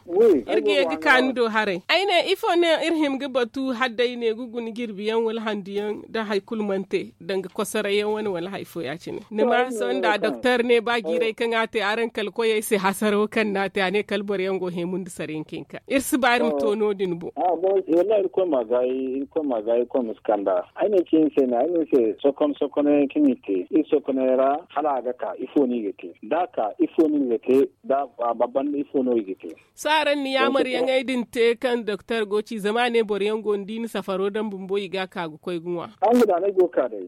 Iri ga ye ga ka ni do haray ay ne ifo ne iri hima ga batu hala day ne ga guna jirbi yaŋ wala handu yaŋ da hari kulu mana te danga kosoray yaŋ wane wala hari fo ya- cine ni ma sohõ nda doktor ne ba jiiray kaŋ a te araŋ kala koyey se hasaro kaŋ no a te a ne kala boro yaŋ go heemundu sara yaŋ ka hinka iri si ba iri ma to no- din boŋ. Wallahi irkoy ma gaayi irkoy ma gaayi irkoy ma si kand'a. Ay ne ci ni se ne ay ne ni se sokon sokonay kaŋ i te iri sokonay ra hala a ga ka ifo no i ga te da a ka ifo no i ga te da a ba banda ifo no i ga te. Sohõ araŋ na yaamar yaŋey din te kaŋ doktor go ci zama a ne boro yaŋ go no da i na safaro daŋ bumbo i ga a ka ga koy ga ŋwa. Araŋ ga daanay go ga ka day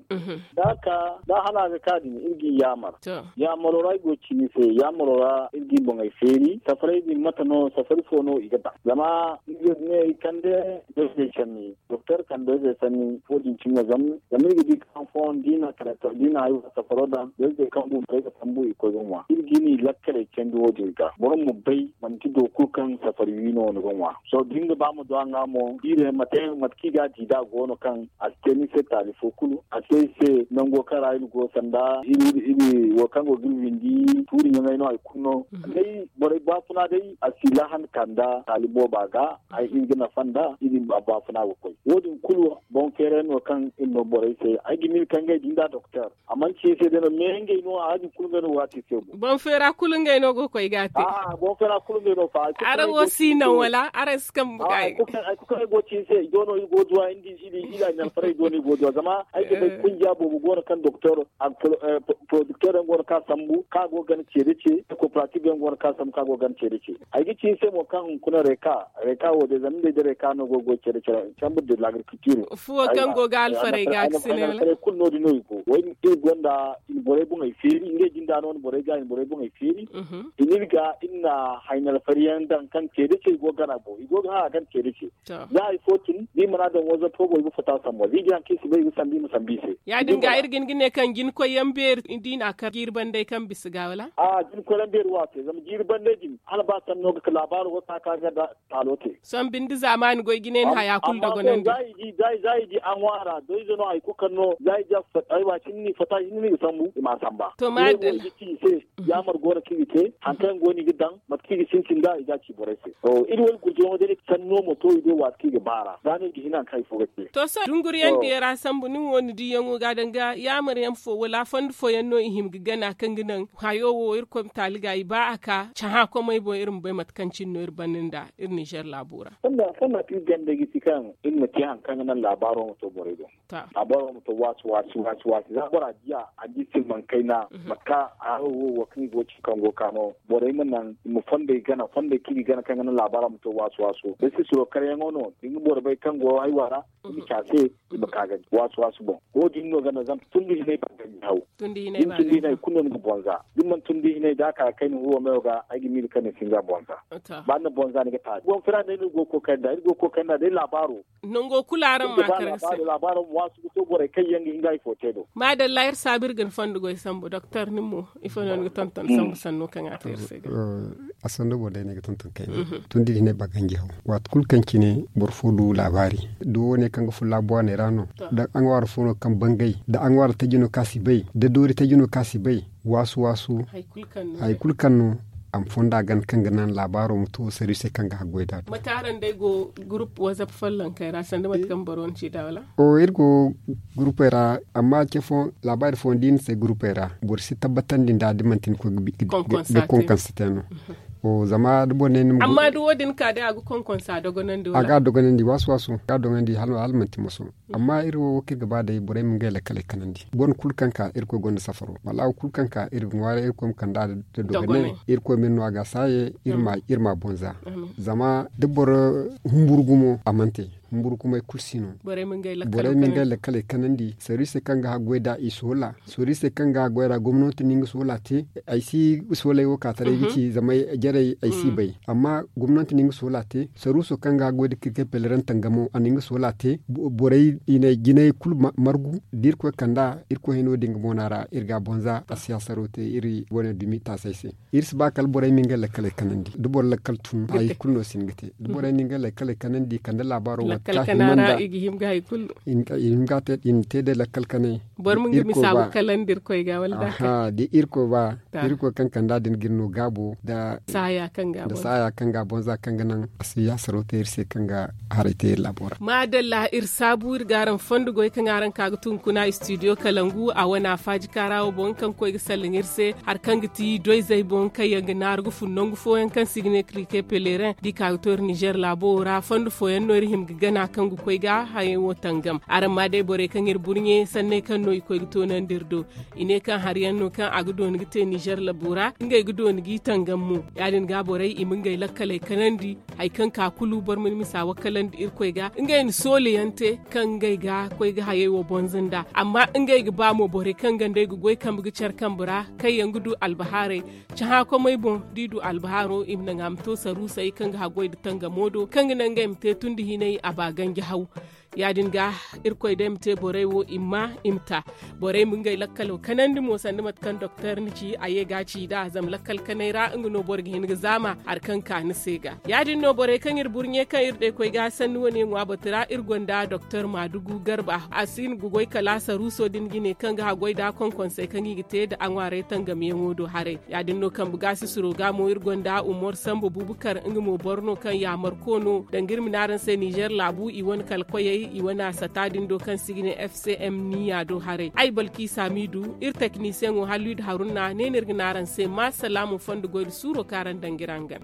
da a ka da hala a ga ka din iri ga i yaamar. Yaamaro ra ay go ga ci ni se yaamaro ra iri ga i boŋey feeri safaray din mate no safari fo no i ga daŋ zama iri ga ne i kande dozey canni doktor kande dozey sanni wo- din cine zama iri ga di kaŋ fooyaŋ da i na kala da i na safaro daŋ dozey kaŋ bumbo ay ga sambu i koy ga ŋwa iri ga i na i lakkaley candi wo- din ga boro ma bay manti boro kulu kaŋ safari wi no ni ga ŋwa. Sohõ da ni ga ba ma du a ŋwa mo jiirey mate kaŋ i ga a di da a go no kaŋ a si te ni se taali fo kulu a si te ay se nango kaŋ ra iri go sanda iri wo kaŋ go ga iri windi tuuri ɲaŋey no hari kulu no. Day borey baafuna day a si lahan kanda taali booba. ga ay hin ga nafa nda i din baafuna ga koy wo- din kulu. Boŋ feera yaŋ no kaŋ iri no borey se ay ga miila kaŋ ngey din da doktor a mana ci iri se day no me ngey no a din kulu ngey no waati se. Boŋ feera kulu ngey no go ga koy ga a te. Boŋ feera kulu ngey no fa. Araŋ wo si naŋ wala araŋ si kambe ga ay ga te. Ay ga ci iri se i do no iri go ga duwa iri da i na alfaray i do no iri go ga duwa zama ay ga bay kunja boobo go no kaŋ doktor a ga porodikter yaŋ go no kaŋ a sambu kaŋ a go ga gana ce da ce. Kooperatif yaŋ go no kaŋ a sambu kaŋ a go ga gana ce da ce. Ay ga ci iri se mo kaŋ hunkuna reka reka wo day zama ngey da reka no go ga goy care care chambre de l'agriculture. Fuwo kaŋ go ga alfaray ga ga sine wala? Kulu no- din no i go. Iri gonda i na borey boŋey feeri ngey jinda no ni borey ga i na borey boŋey feeri. I na iri ga iri na hayna alfari yaŋ daŋ kaŋ ce da ce i go ga gana boŋ i go ga hã a gana ce da ce. Za hari fo tun da i mana daŋ waza fo boŋ i ga fata sambu za i ga haŋ kaŋ i si bay i ga sambu i ma sambu i se. Ya- din ga iri ga hin ga ne kaŋ jina koy yaŋ beeri da i na a kar jiiri banday kaŋ bisa ga wala? Jina koy yaŋ beeri wo a te zama jiiri banday din hala ba sanno ga ka laabaaro go ga ka ga da taalo te. Sohõ binde zaamaani goy ga ne ni haya kulu dogonandi. Za i di a ŋwaara doyze no hari kulu kaŋ no za i di a fata i ma sambu i ma a samba. To maadalla. Yaamar go no kaŋ i ga te hari kaŋ yaŋ go no i ga daŋ mate kaŋ i ga sintin nd'a i ga a ci borey se. Iri wo iri gurjayaŋo day sanno ma to i do waati kaŋ i ga baar'a za no i ga hin hari kaŋ hari fo ga te. To sohõ dunguriyaŋ diya ra sambu nin wo ni diyaŋo ga danga yaamar yaŋ fo wala fondo fooyaŋ no i hima ga gana kaŋ ga naŋ hayo wo irkoy ma taali ga i ba a ka cahã komey boŋ iri ma bay mate kaŋ cine no iri banda nda iri ninzeer laabo ra. Fonda kaŋ ga ti ganda ga ti kaŋ iri ma te hari kaŋ ga naŋ laabaaro ma to borey do. Laabaaro ma to waasi waasi waasi waasi za bora di a a di silmaŋ kayna mate kaŋ haro wo wo kaŋ i go ga ci kaŋ go ga ka no borey ma naŋ i ma fondey gana fondey kaŋ i ga gana kaŋ ga naŋ laabaaro ma to waasi waaso da sisiro karyaŋo no da ni ga boro bay kaŋ go haywa ra i ma ci a se i ma ka ga di waasi waasi boŋ. Wo- din no ganda zama tundi hinay ba ganji haw. Tundi hinay kulu no ni ga bonza da ni mana tundi hinay da a ka ga kayna huwo mayo ga ay ga miila kaŋ ni si nga bonza. Ba ni na bonza ni ga taali boŋ fira day no iri go ga koy kayna nd'a iri go ga koy kayna nd'a day laabaaro. Nango kulu araŋ ma kar ga se. Laabaaro ma waasu ga to borey kaŋ yaŋ ga hin ga hari fo te do. Maadalla iri saabu iri ga ni fondo goy sambu doktor nin mo ifo no ni ga tonton sambu sanno kaŋ a te iri se ga? A sanno boro day no ay ga tonton kayna. Tundi hinay ba ganji haw waati kulu kaŋ cine boro fo du laabaari da wo- ne kaŋ ga fun laabu waaney ra no da aŋwaara fo no kaŋ bangay da aŋwaara taji no kaŋ a si bay da doori taji no kaŋ a si bay. Waasu waasu hari kulu kaŋ no a ma fonda gana kaŋ ga naŋ laabaaro ma to sarri se kaŋ ga haggoy da a do. Mate araŋ day go gurup wazap follonkey ra sanda mate kaŋ boro ni ci da wala? O iri go gurupey ra amma ce fo laabaari fooyaŋ da i na se gurupey ra boro si tabbatandi nd'a da manti ni koy ga konkonsa te no. Zama da boro ne ni ma amma da wo- din ka day a ga konkonsa dogonandi wala a ga a dogonandi waasu waasu ga a dogonandi hala manti moso. Amma iri wo wo kaŋ iri ga ba day borey ma ngey lakkaley kanandi boro kulu kaŋ ka irkoy gonda safaro wala wo kulu kaŋ ka iri ga ŋwaaray irkoy ma kand'a da dogonay. Irkoy ma iri no a ga a saaye iri ma bonza. Zama da boro humburu gumo a mana te humburu gumey kulu si no. Borey ma ngey lakkaley kanandi sarri se kaŋ ga haggoy nd'a i soola. Sorri se kaŋ ga goy ra gomnanti na nga soola te. Ay si soolay wo ka taray ga ci zama jarey ay si bay amma gomnanti na nga soola te saruuso kaŋ ga goy da kirkey peleran tangamo a na nga soola te. Borey i na jinay kulu margu da irkoy kand'a irkoy hino din ga boona ra iri ga a bonza a si a saro te iri wane dumi taasay se. Iri si ba kala borey ma ngey lakkaley kanandi da boro lakkal tun hari kulu no si hin ga te da borey na ngey lakkaley kanandi kande laabaaro wo ta hima nda i ga hima ga hari kulu. I na te day lakkal kanay. Boro ma nga misa ga kalandi irkoy ga wala da a kay da irkoy ba irkoy kaŋ kand'a din ga iri no gaabo da saaya kaŋ ga bonza kaŋ ga naŋ a si yaasaro te iri se kaŋ ga haray te iri laabo ra. Maadalla iri saabu iri ga araŋ fondo goy kaŋ araŋ ka ga tun kuna studio kalangu a wane a faaji kaara wo boŋ kaŋ koy ga sallaŋ iri se hari kaŋ ga ti doyzey boŋ kaŋ yaŋ ga naaru ga fun nangu fooyaŋ kaŋ se i ga ne krike pelerin da i ka ga to iri nizer laabo wo ra fondo fooyaŋ no iri hima ga gana kaŋ ga koy ga hayey wo tangam. Araŋ ma day borey kaŋ iri burɲe sanney kaŋ no i koy ga toonandi iri do. I ne kaŋ hari yaŋ no kaŋ a ga dooni ga te nizer laabo ra ngey ga dooni g'i tangam mo. Ya- din ga borey i ma ngey lakkaley kanandi hari kaŋ ka kulu boro ma ni misa wakkalandi irkoy ga ngey na sooli yaŋ te kaŋ ngey ga koy ga hayey wo bonza nd'a amma ngey ga ba mo borey kaŋ gandey ga goy kambe ga care kambe ra kaŋ yaŋ ga du albahaarey. Cahã komey boŋ da i du albahaaro i ma naŋ a ma to saruusey kaŋ ga haggoy nda tangamo do kaŋ ga naŋ ngey ma te tun da hinay a ba ganji haw. Ya- din ga, irkoy day ma te borey wo i ma ma i ma ta. Borey ma ngey lakkalo kanandi mo sanda mate kaŋ doktor ni ci a ye ga a ci nd'a zama lakkal kanay ra nga no boro ga hin ga zaama hari kaŋ ka ni se ga. Ya- din no borey kaŋ iri burɲe kaŋ iri day koy ga sanni wane ŋwa batu ra iri gonda doktor maadugu garba a si hin ga goy kala saruuso din ga ne kaŋ ga haggoy nd'a konkonsey kaŋ i ga te nda a ŋwaaray tangamyaŋo do haray. Ya- din no kambe gaasisiro ga mo iri gonda umar sambu bubukar nga mo boro no kaŋ yaamarko no danga iri ma ne araŋ se nizer laabu i wane kala koyey i wane a sata din do kaŋ si ga ne f c m niya do haray ay balki saamiidu iri teknisiyaŋo halluy nda haruna ne no iri ga ne araŋ se ma salaamu fondo goy nda suuro kaŋ araŋ danga iri hangan.